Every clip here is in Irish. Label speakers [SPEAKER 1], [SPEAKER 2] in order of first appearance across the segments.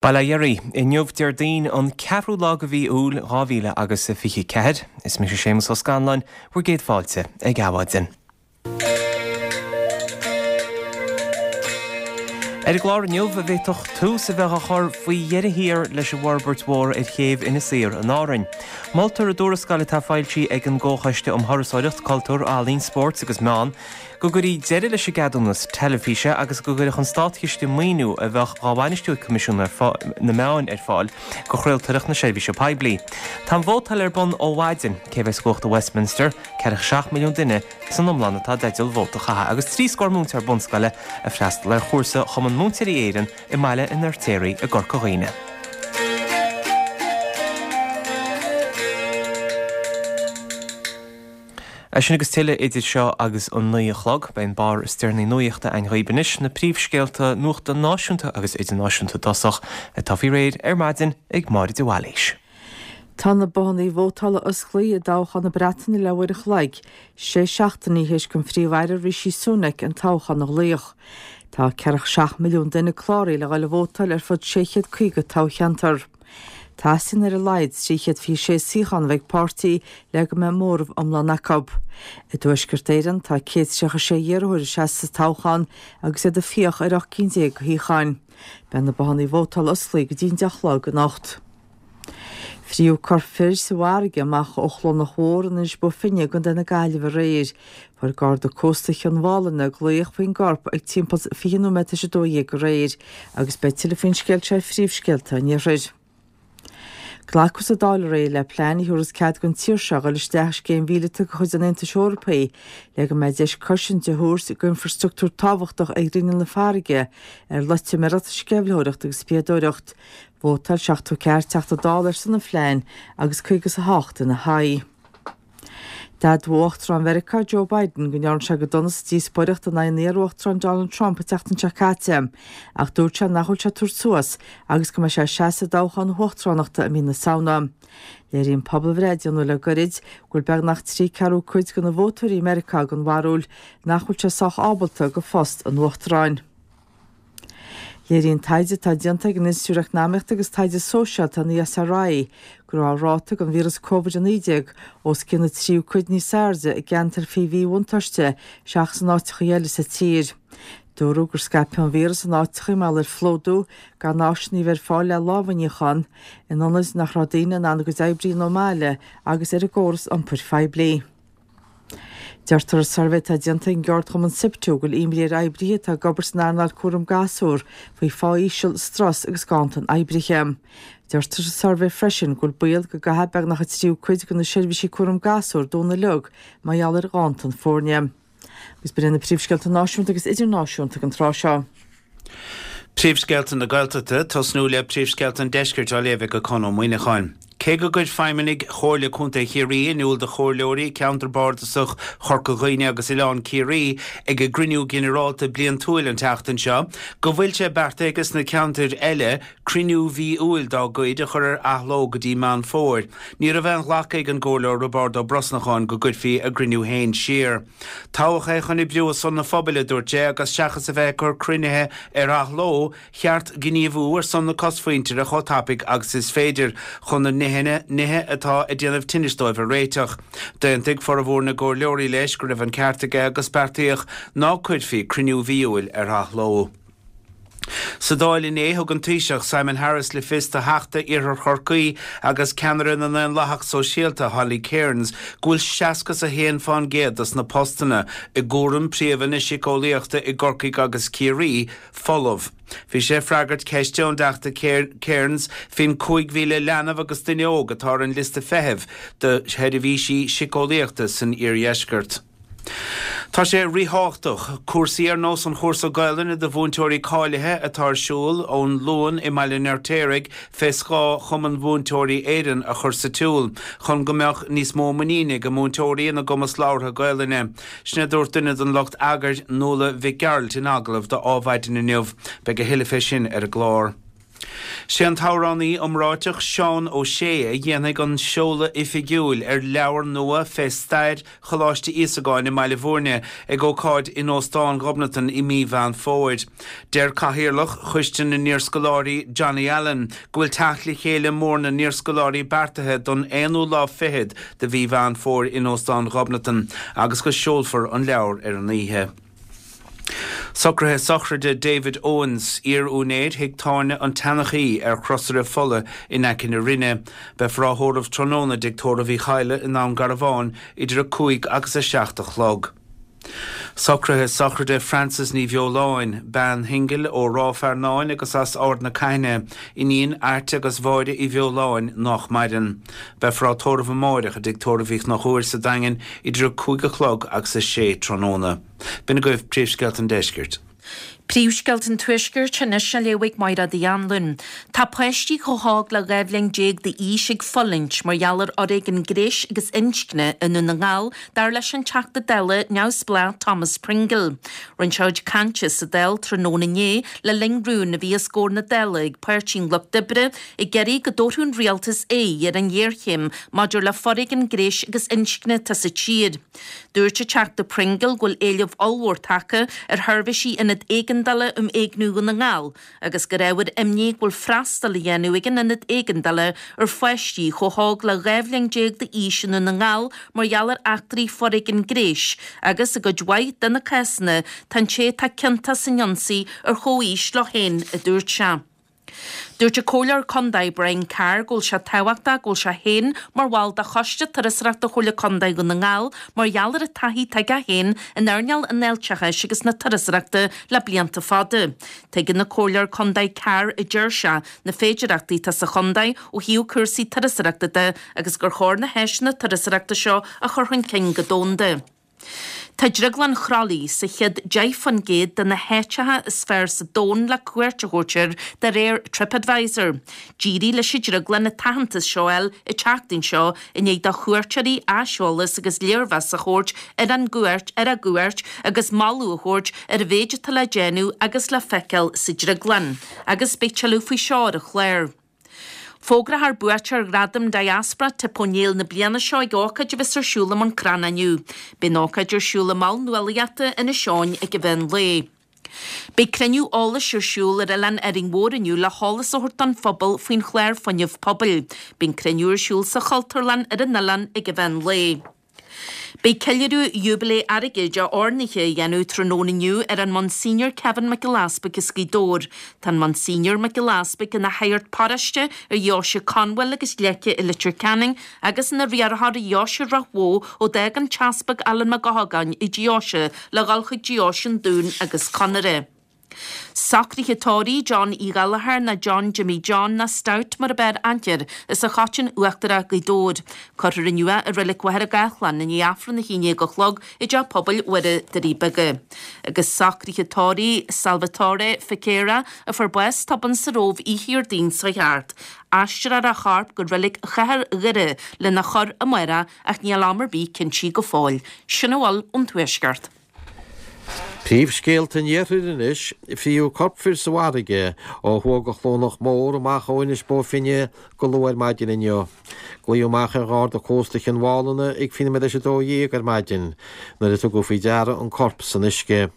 [SPEAKER 1] Bail ó Dhia oraibh. Inniu Déardaoin an ceathrú lá de mhí Iúil 2000 agus 24. Is mise Séamus Ó Scanláin, bhur gcéad fáilte ag Adhmhaidin. Ar an gclár inniu, an bhféadfadh tús a bheith á chur faoi dheireadh thiar leis an bhforbairt mhór ar chéibh Inis Oírr in Árainn. Moltar i dtuarascáil atá foilsithe ag an gComhchoiste um Thurasóireacht, Cultúr, Ealaín, Spóirt agus Meán, Go gcuirfí deireadh leis an gceadúnas teilifíse agus go gcuirfeadh an Státchiste maoiniú a bheadh dhá bhainistiú ag Coimisiún na Meáin ar fáil do chraoltóireacht na seirbhíse poiblí. Tá an vótáil ar bun ó mhaidin cé bheas i gcumhacht i Westminster, 47 milliún duine san iomlán atá i dteideal vóta a chaitheamh agus 30 scór múinteoir bunscoile ag freastal ar chúrsa Chumann Múinteoirí Éireann i mBaile an Fheirtéaraigh i gCorca Dhuibhne. É sin agus tuilleadh idir seo agus an 9 a chlog. Beidh an barr is deireanaí nuachta againn dhaoibh anois, na príomhscéalta nuachta náisiúnta agus idirnáisiúnta i dtosach, atá faoi réir ar maidin ag Máire de Bhailís.
[SPEAKER 2] Tá na bothanna vótála osclaithe i dtoghchán na Breataine le uair a chloig, sé seachtainí théis don Phríomh-Aire Rishi Sunak an toghchán a ghlaoch. Tá 47 milliún duine cláraithe le dhul ag vótáil ar fud 650 toghcheantar. Teastaíonn ar a laghad 326 suíochán a bheith ag páirtí le go mbeidh móramh iomlán acu. I dTuaisceart Éireann, tá 136 iarrthóir ag seasamh sa toghchán agus iad ag fiach ar 18 cinn de shuíocháin. Beidh na bothanna vótála osclaithe go dtí an 10 a chlog anocht. Fríodh corp fir sa bhfarraige amach ó Chlonach Mhór in Inis Bó Finne i gContae na Gaillimhe aréir. Fuair Garda Cósta Chionn Mhálanna glaoch faoin gcorp ag timpeall 20 nóiméad tar éis 12 aréir agus beidh tuilleadh faoin scéal seo ar Phríomhscéalta an Iarthair. Glacadh sa Dáil aréir le plean a thabharfas cead don tír seo dhul isteach i scéim mhíleata de chuid an Aontais Eorpaigh le go mbeidh deis cosaint a thabhairt d'infrastruchtúr tábhachtach ar ghrinneall na farraige ar loitiméireacht, sceimhlitheoireacht agus spiadóireacht. Vótáil 74 Teachta Dála ar son an phlean agus 58 ina haghaidh. D'admhaigh Uachtarán Mheiriceá Joe Biden go ndearna sé go dona sa díospóireacht in aghaidh an iar-uachtaráin Donald Trump an tseachtain seo caite ach dúirt sé nach bhfuil sé ag tabhairt suas agus go mbeidh sé ag seasamh i dtoghchán na huachtaránachta i mí na Samhna. Léiríonn pobalbhreith a déanadh le goirid go bhfuil beagnach trí ceathrú cuid de na vótóirí i Meiriceá den bharúil nach bhfuil sé sách ábalta do phost an uachtaráin. Léiríonn taighde atá déanta ag an Institiúid Eacnamaíochta agus Taighde Sóisialta, an ESRI, go raibh an ráta den víreas Covid-19 os cionn an tríú cuid níos airde i gceantair faoi mhíbhuntáiste seachas in áiteacha eile sa tír. Dúradh gur scaipeadh an víreas in áiteacha mar gheall ar phlódú, gan áiseanna a bheith ar fáil le lámha a níochán, in ionaid nach raibh daoine in ann a gcuid oibre a dhéanamh ón mbaile agus ar an gcóras iompair phoiblí. Deirtear i suirbhé atá déanta ag an gceardchumann Siptu go bhfuil imní ar oibrithe atá ag obair san earnáil cúram gasúr faoi phá íseal, strus agus ganntan oibrithe. Deirtear sa suirbhé freisin go bhfuil baol go gcaithfidh beagnach an tríú cuid de na seirbhísí cúram gasúr dúnadh uilig mar gheall ar ghanntan foirne. Agus b'in iad na príomhscéalta náisiúnta agus idirnáisiúnta ag an tráth seo.
[SPEAKER 3] Príomhscéalta na Gaeltachta, tosnú le príomhscéalta an Deiscirt á léamh ag Conn Ó Muíneacháin. Cé go gcuir feidhmeannaigh Chomhairle Contae Chiarraí in iúl do chomhairleoirí Ceantar Bardasach Chorca Dhuibhne agus Oileán Ciarraí ag a gcruinniú ginearálta bliantúil an tseachtain seo go bhfuil sé beartaithe aige sna ceantair eile cruinniú mhí Iúil dá gcuid a chur ar athló go dtí Meán Fómhair, ní raibh aon ghlacadh ag an gComhairleoir Roibeárd Ó Brosnacháin go gcuirfí a gcruinniú féin siar. Toghadh é chun oibriú ar son an phobail, a dúirt sé, agus seachas a bheith ag cur cruinnithe ar athló, cheart gníomhú ar son na cosmhuintire chomh tapaidh agus is féidir, chun na nithe atá ag déanamh tinnis dóibh a réiteach. D'aontaigh formhór na gcomhairleoirí leis go raibh an ceart aige agus beartaíodh ná cuirfí cruinniú mhí Iúil ar athló. Sa Dáil inné, thug an Taoiseach Simon Harris le fios do Theachta Iarthar Chorcaí agus ceannaire na nDaonlathach Sóisialta, Holly Cairns, go bhfuil 61 fán gcéad dos na postanna i gcúram príomha na síceolaíochta i gCorcaigh agus Ciarraí folamh. Bhí sé ag freagairt ceiste ón dTeachta Cairns faoin 5,000 leanbh agus duine óg atá ar an liosta feithimh do sheirbhísí síceolaíochta san iardheisceart. Tá sé ríthábhachtach cúrsaí ar nós an chúrsa Gaolainne do mhúinteoirí cáilithe atá ar siúl ón Luan i mBaile an Fheirtéaraigh fé scáth Chumann Mhúinteoirí Éireann a chur sa tsiúl chun go mbeadh níos mó muiníne ag múinteoirí ina gcumas labhartha Gaolainne. Sin a dúirt duine den lucht eagair, Nuala Mhic Gearailt in agallamh do Ádhmhaidin inniu. Beidh a thuilleadh fé sin ar an gclár. Sé an t-amhránaí iomráiteach Seán Ó Sé a dhéanfaidh an seoladh oifigiúil ar leabhar nua fé stair Choláiste Íosagáin i mBaile Bhúirne ag ócáid in Óstán Ghobnatan i mí Mheán Fómhair. Deir Cathaoirleach Choiste na nIarscoláirí Johnny Allen go bhfuil teacht le chéile mór na n-iarscoláirí beartaithe don aonú lá fichead de mhí Mheán Fómhair in Óstán Ghobnatan agus go seolfar an leabhar ar an oíche. Socruithe sochraide David Owens, iar-úinéir thigh tábhairne An tSeanchaí ar Chrosaire Fola in aice na Rinne. Beifear á thórramh tráthnóna i dTigh Tórraimh Uí Chadhla i nDún Garbhán idir 5 agus 7 a chlog. Socruithe sochraide Frances Ní Bheoláin, bean shingil ó Ráth Fearnáin agus as Ard na Caithne, iníon Airt agus Mháire Uí Bheoláin, nách maireann. Beifear á tórramh amáireach i dTigh Tórraimh Uí Chonchúir sa Daingean idir 5 a chlog agus 6 tráthnóna. B'in agaibh Príomhscéalta an Deiscirt.
[SPEAKER 4] Príomhscéalta an Tuaiscirt anois á léamh ag Mairéad Uí Anluain. Tá páistí chomh hóg le 12 bhliain d'aois ag fulaingt mar gheall ar fhoréigean gnéis agus inscne i nDún na nGall, dar leis an Teachta Dála neamhspleách Thomas Pringle. Rinne sé a chuid cainte sa Dáil tráthnóna inné le linn rún a bhí os comhair na Dála ag Páirtí an Lucht Oibre ag iarraidh go dtabharfadh an rialtas aghaidh ar an ghéarchéim maidir le foréigean gnéis agus inscne atá sa tír. Dúirt an Teachta Pringle go bhfuil éileamh ollmhór tagtha ar sheirbhísí Ionad Éigeandála um Éigniú Dhún na nGall agus gur ábhar imní go bhfuil freastal á dhéanamh ag an Ionad Éigeandála ar pháistí chomh hóg le 12 bhliain d'aois i nDún na nGall mar gheall ar eachtraí foréigin gnéis agus i gcuid mhaith de na cásanna tá an té atá ciontach san ionsaí ar chomhaois leo féin, a dúirt sé. Dúirt an Comhairleoir Contae Brian Carr go bhfuil sé tábhachtach go bhfuil sé féin mar bhall de Choiste Turasóireachta Chomhairle Contae Dhún na nGall mar gheall ar an taithí atá aige féin in earnáil an fháilteachais agus na turasóireachta le blianta fada. Tuigeann an Comhairleoir Contae Carr, a deir sé, na féidearthachtaí atá sa chontae ó thaobh cúrsaí turasóireachta de agus gur chóir na háiseanna turasóireachta seo a chur chun cinn go domhanda. Tá Drioglann Chroithlí sa chéad 10% de na háiteacha is fearr sa domhan le cuairt a thabhairt air de réir TripAdvisor. D'éirigh leis an drioglann an t-aitheantas seo a fháil an tseachtain seo i ndiaidh do chuairteoirí aiseolas agus léirmheas a thabhairt ar an gcuairt ar a gcuairt agus moladh a thabhairt ar an mhéid atá le déanamh agus le feiceáil sa drioglann. Agus beidh tuilleadh faoi seo ar an chlár. Fógrófar buaiteoir Ghradam Diaspora Tip O'Neill na bliana seo ag ócáid a bheas ar siúl i mBun Cranncha inniu. Beidh an ócáid ar siúl i Mol Nuálaíochta Inis Eoghain ag an mheán lae. Beidh cruinniú eolais ar siúl ar Oileán Árainn Mhór inniu le heolas a thabhairt don phobal faoin chlár Fuinneamh Pobail. Beidh an cruinniú ar siúl sa Chultúrlann ar an oileán ag an mheán lae. Beidh ceiliúradh Júibilé Airgid a oirnithe á dhéanamh tráthnóna inniu ar an Monsignor Kevin Mac Giolla Easpaig as Gaoth Dobhair. Tá an Monsignor Mac Giolla Easpaig ina shagart paróiste ar Dheoise Conwell agus Leice i Leitir Ceanainn agus ina riarthóir ar Dheoise Ráth Bhoth ó d'fhág an tEaspag Alan Mac Eochagáin an deoise le dhul chuig Deoise an Dúin agus Conaire. Socruithe tórraimh John Uí Ghallchóir nó John Jimmy John nó Stout mar ab fhearr aithne air, as an Choitín Uachtarach Gaoth Dobhair. Cuirfear inniu é i Reilig Mhachaire Gathlán i ndiaidh Aifreann 11 a chlog i dTeach Pobail Mhuire, Doirí Beaga. Agus socruithe tórraimh Salvatore Fichera a fuair bás tobann sa Róimh oíche Dhéardaoin seo thart. Aistreofar a chorp go Reilig Chathair Dhoire lena chur amárach ach níl am ar bith cinntithe go fóill. Sin a bhfuil ón Tuaisceart.
[SPEAKER 5] Príomhscéalta an Iarthair anois, Fríodh corp fir sa bhfarraige ó thuaidh de Chluanach Mór amach ó Inis Bó Finne go luath ar maidin inniu. Glaodh amach ar Gharda Cósta Chionn Mhálanna ag fiche nóiméad théis 12 ar maidin nuair a tugadh faoi deara an corp san uisce.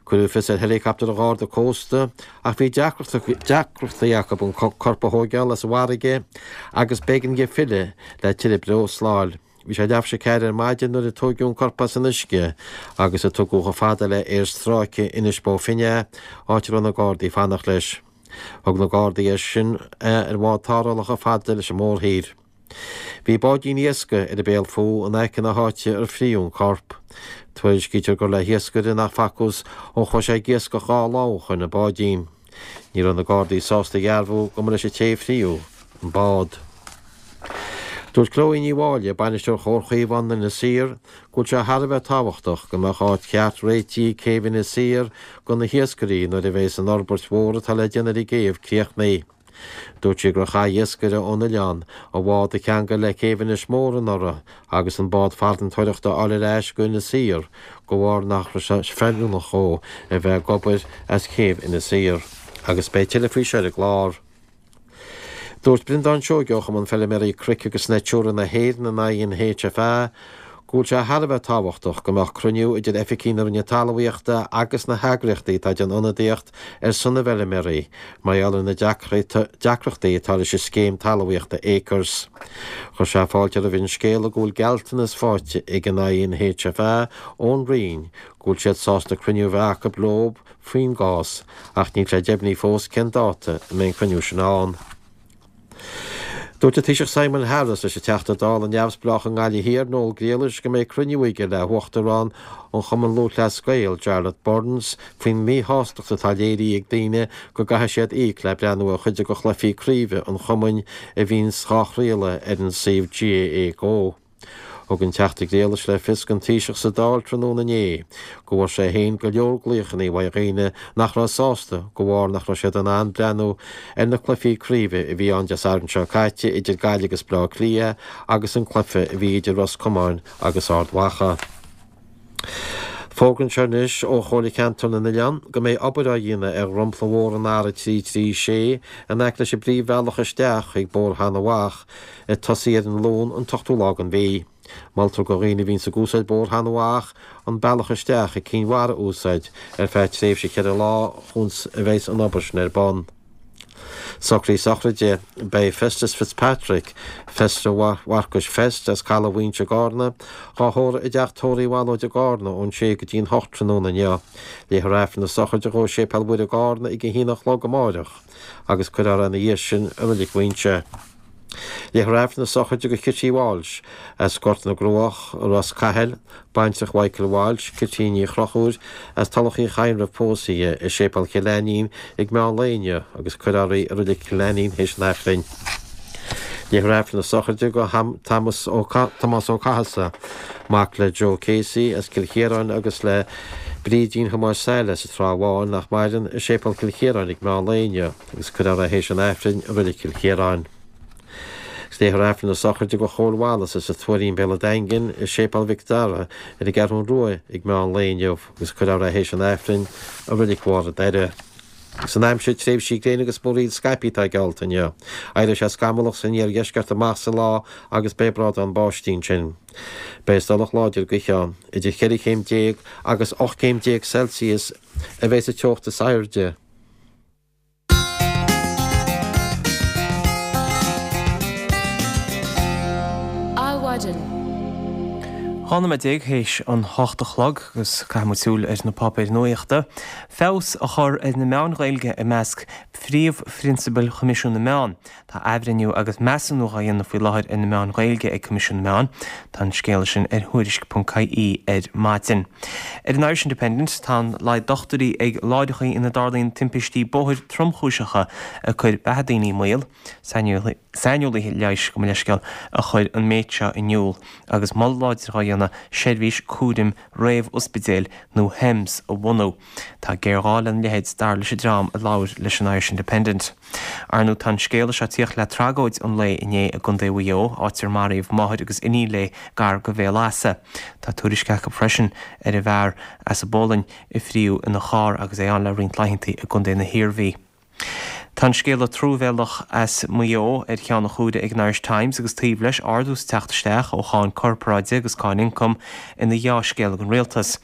[SPEAKER 5] Cuireadh fios ar heileacaptar an Gharda Cósta ach bhí deacrachtaí acu an corp a thóigeáil as an bhfarraige agus b'éigean dóibh filleadh le tuilleadh breosla a fháil. Bhí sé leathuair théis 4 ar maidin nuair a tóigeadh an corp as an uisce agus a tugadh chomh fada le aerstráice Inis Bó Finne é, áit a raibh na Gardaí ag fanacht leis. Thug na Gardaí é sin ar bhád tarrthála chomh fada leis an mórthír. Bhí báidín iascaigh ar an béal fúthu in aice na háite ar fríodh an corp. Tuairiscítear gur le hiascaire nach facthas ó chuaigh sé ag iascach 2 lá ó shoin an báidín. Ní raibh na Gardaí sásta a dhearbhú go mba leis an té a fríodh an bád. Dúirt Chloe Ní Mháille, Bainisteoir Chomhar Chaomhán Inis Oírr, go bhfuil sé thar a bheith tábhachtach go mbeadh áit cheart réitithe ag céibh Inis Oírr do na hiascairí nuair a bheas an fhorbairt mhór atá le déanamh ar an gcéibh críochnaithe. Dúirt sí gur chaith iascaire ón oileán a bhád a cheangal le céibh Inis Mór anuraidh agus an bád farantóireachta a fháil ar ais go Inis Oírr de bharr nach raibh sé feiliúnach dhó a bheith ag obair as céibh Inis Oírr. Agus beidh tuilleadh faoi seo ar an gclár. Dúirt Breandán Seoige ó Chumann Feilméaraí Cnoic agus Natura na hÉireann, an INHFA, go bhfuil sé thar a bheith tábhachtach go mbeadh cruinniú idir oifigigh na Roinne Talmhaíochta agus na heagraíochtaí atá ag déanamh ionadaíocht ar son na bhfeilméaraí mar gheall ar na deacrachtaí atá leis an scéim talmhaíochta Acres. Chuir sé fáilte roimh an scéala go bhfuil gealltanas faighte ag an INHFA ón Roinn go bhfuil siad sásta cruinniú a bheith acu leo faoin gcás, ach níl sé deimhnithe fós cén dáta a mbeidh an cruinniú sin ann. Dúirt an Taoiseach Simon Harris leis an Teachta Dála neamhspleách i nGaillimh Thiar, Noel Grealish, go mbeidh cruinniú aige le hUachtarán an Chumann Lúthchleas Gael, Jarlath Burns, faoin míshástacht atá léirithe ag daoine go gcaithfidh siad íoc le breathnú ar chuid de chluichí craoibhe an chumainn a bhíonns dhá chraoladh ar an suíomh GAA Go. Thug an Teachta Grealish le fios don Taoiseach sa Dáil tráthnóna inné go bhfuair sé féin go leor glaochanna uaidh dhaoine nach raibh sásta de bharr nach raibh siad in ann breathnú ar na cluichí craoibhe a bhí ann Dé Sathairn seo caite idir Gaillimh agus Baile Átha Cliath agus an cluiche a bhí idir Ros Comáin agus Ard Mhacha. Fógra anseo anois ó Chomhairle Ceantar na nOileán go mbeidh obair á dhéanamh ar dhromchla mhór an R336 in aice leis an bpríomhbhealach isteach chuig Bóthar Sheáin Mhacha ag tosaí ar an Luan an t-ochtú lá den mhí. Moltar do dhaoine a bhíonns ag úsáid Bóthar Sheáin Mhacha an bealach isteach ag Cinn Mhara a úsáid ar feadh tréimhse cheithre lá chúns a bheidhs an obair sin ar bun. Socruithe sochraide, Beidh Festus Fitzpatrick, Feisire Mharcais Fest as Caladh Mhaínse i gCarna, dhá thórramh i dteach tórraimh Mhalóid i gCarna ón sé go dtí an hocht tráthnóna inniu. Léifear Aifreann na sochraide dhó i Séipéal Mhuire i gCarna ag a haon a chlog amáireach agus cuirfear é ina dhiaidh sin i Reilig Mhaínse. Léifear Aifreann na sochraide do Chití Walsh as Gort na gCruach, Ros Cathail, baintreach Mhichael Walsh, Cití Ní Chrochúir as Tulach Uí Chadhain roimh pósadh í, i Séipéal Chill Ainnín ag meán lae inniu agus cuirfear í i Reilig Chill Ainnín théis an Aifrinn. Léifear Aifreann na sochraide do Tomás Ó Cathasaigh, mac le Joe Casey as Cill Chiaráin agus le Brídín Thomáis Saile as an Trá Bháin, nach maireann, i Séipéal Chill Chiaráin ag meán lae inniu. agus cuirfear é théis an Aifrinn i Reilig Chill Chiaráin. Agus léifear Aifreann na sochraide do Chóil Wallace as an Tuairín Béal an Daingin i Séipéal Mhic Dara ar an gCeathrún Rua ag meán lae inniu agus cuirfear é théis an Aifrinn i Reilig Bharr an Doire. Agus an aimsir, tréimhsí gréine agus múraíl scaipthe atá geallta inniu. Éireoidh sé scamallach san iardheisceart amach sa lá agus beidh brádán báistí ansin. Beidh stolladh láidir gaoithe ann. Idir cheithre chéim déag agus 18 céim Celsius a bheidh sa teocht is airde.
[SPEAKER 1] Adhmhaidin. 12 nóiméad théis an hocht a chlog agus caithfidh muid súil ar na páipéir nuachta. Feabhas a chur ar na meáin Ghaeilge i measc phríomhphrionsabail Choimisiún na Meán. Tá athbhreithniú agus measúnú á dhéanamh faoi láthair ar na meáin Ghaeilge ag Coimisiún na Meán. Tá an scéala sin ar Thuairisc.ie ar maidin. Ar an Irish Independent, tá an laghad dochtúirí ag láithreacha ina dtarlaíonn timpistí bóthair tromchúiseacha ag cur beatha daoine i mbaol. Saineolaithe leighis, gabh mo leithscéal, a chuir an méid seo in iúl agus moladh láidir á dhéanamh seirbhís cúraim réamh-ospidéil nó HEMS a bhunú. Tá géarghá lena leithéid, dar leis an dream a labhair leis an Irish Independent. Ar ndóigh tá an scéala seo ag tíocht le tragóid an lae inné i gContae Mhaigh Eo, áit ar maraíodh máthair agus iníon léi gar go Bhéal Easa. Tá tuairisc acu freisin ar an bhfear as an bPolainn a fríodh ina charr agus é ann le roinnt laethanta i gContae na hIarmhí. Tá an scéala truamhéalach as Maigh Eo ar cheann an chuaire ag an Irish Times agus taobh leis ardú sa teacht isteach ó cháin corparáide agus cáin ioncaim ina dhea-scéal ag an rialtas.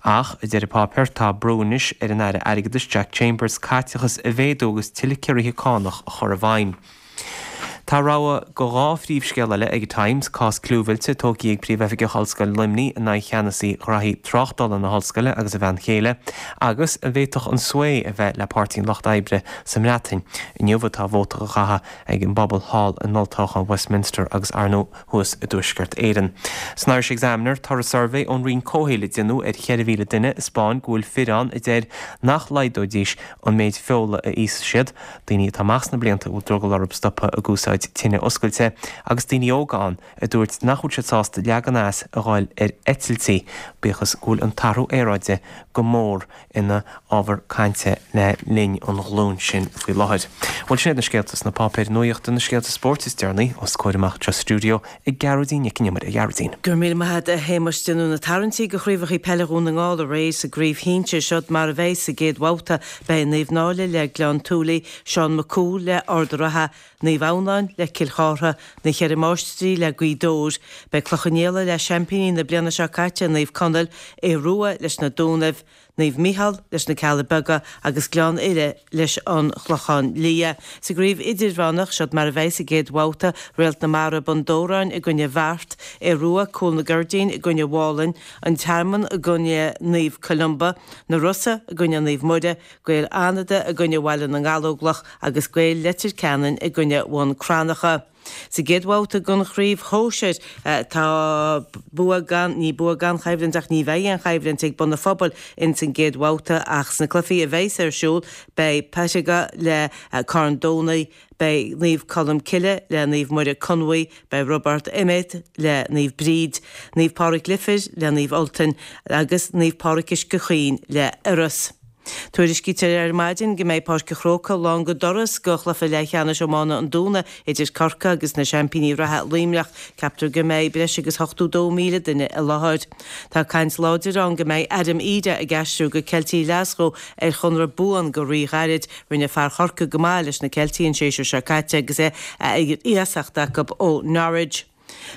[SPEAKER 1] Ach, a deir an páipéar, tá brú anois ar an Aire Airgeadais Jack Chambers caiteachas a mhéadú agus tuilleadh ciorruithe cánach a chur i bhfeidhm. Tá rogha de dhá phríomhscéal eile ag an Times, cás clúmhillte tógtha ag Príomhoifigeach Ollscoil Luimnigh in aghaidh cheannasaí ghraithí tráchtála na hollscoile agus a bhean chéile, agus an bhféadfadh an sway a bheith le Páirtí an Lucht Oibre sa mBreatain. Inniu atá vóta á chaitheamh ag an bpobal thall in olltoghchán Westminster agus, ar ndóigh, thuas i dTuaisceart Éireann. San Irish Examiner, toradh suirbhé ón Roinn Comhshaoil a déanadh ar 4,000 duine a 'spáin go bhfuil fir ann a deir nach laghdóidís an méid feola a íosfaidh siad, daoine atá amach sna blianta a bhfuil drogall orthu stopadh ag úsáid. úsáid tine oscailte, agus daoine óga ann a dúirt nach bhfuil siad sásta leagan as a dhul ar eitiltí, bíodh is go bhfuil an t-athrú aeráide go mór ina ábhar cainte le linn an ghlúin sin faoi láthair. Bhuel, sin iad na scéalta sna páipéir nuachta, na scéalta spóirt is deireanaí os comhair amach anseo sa stiúideo ag Gearóidín Nic an Iomaire. A Ghearóidín.
[SPEAKER 6] Go raibh míle maith agat, a Shéamais. Déanadh na tarraingtí do chraobhacha peile Dhún na nGall aréir sa gcraobh shinsir. Seod mar a bheidh sa gcéad bhabhta. Beidh Naomh Náille le Gleann tSúilí, Seán Mac Cumhaill le Ard a' Rátha, Naomh Adhamhnáin le Cill Chártha, Na Cheithre Máistrí le Gaoth Dobhair. Beidh Cloich Cheann Fhaola le seaimpíní na bliana seo caite, Naomh Conaill, Aodh Rua leis na Dúnaibh, Naomh Micheál leis na Cealla Beaga agus Gleann Fhile leis an Chlochán Liath. Sa gcraobh idirmheánach, seod mar a bheidh sa gcéad bhabhta, Réalt na Mara, Bun Dobhráin i gcoinne Bheart, Aodh Rua, Cúl na gCuirdín i gcoinne Mhálainn, An Tearmann i gcoinne Naomh Columba, Na Rosa i gcoinne Naomh Muire, Gaeil Fhánada i gcoinne Bhaile na nGallóglach agus Gaeil Leitir Ceanainn i gcoinne Bhun Cranncha. Sa gcéad bhabhta den chraobh shóisir, tá bua gan, ní bua gan choimhlint ach ní bheidh aon choimhlint ag Bun an Phobail ins an gcéad bhabhta ach sna cluichí a bheas ar siúl beidh Pettigo le Carn Domhnaigh, beidh Naomh Colm Cille le Naomh Muire Conmhaigh, beidh Roibeard Emmet le Naomh Bríd, Naomh Pádraig Leifir le Naomh Ultain agus Naomh Pádraig Uisce Chaoin le Iorras. Tuairiscítear ar maidin go mbeidh Páirc an Chrócaigh lán go doras do chluiche leathcheannais iomána an Dúna idir Corcaigh agus na seaimpíní reatha Luimneach. Ceaptar go mbeidh breis agus 82,000 duine i láthair. Tá caint láidir ann go mbeidh Adam Idah ag aistriú go Ceiltigh Ghlaschú ar chonradh buan go ríghairid. Rinne fear Chorcaí go maith leis na Ceiltigh an séasúr seo caite agus é ar iasacht acu ó Norwich.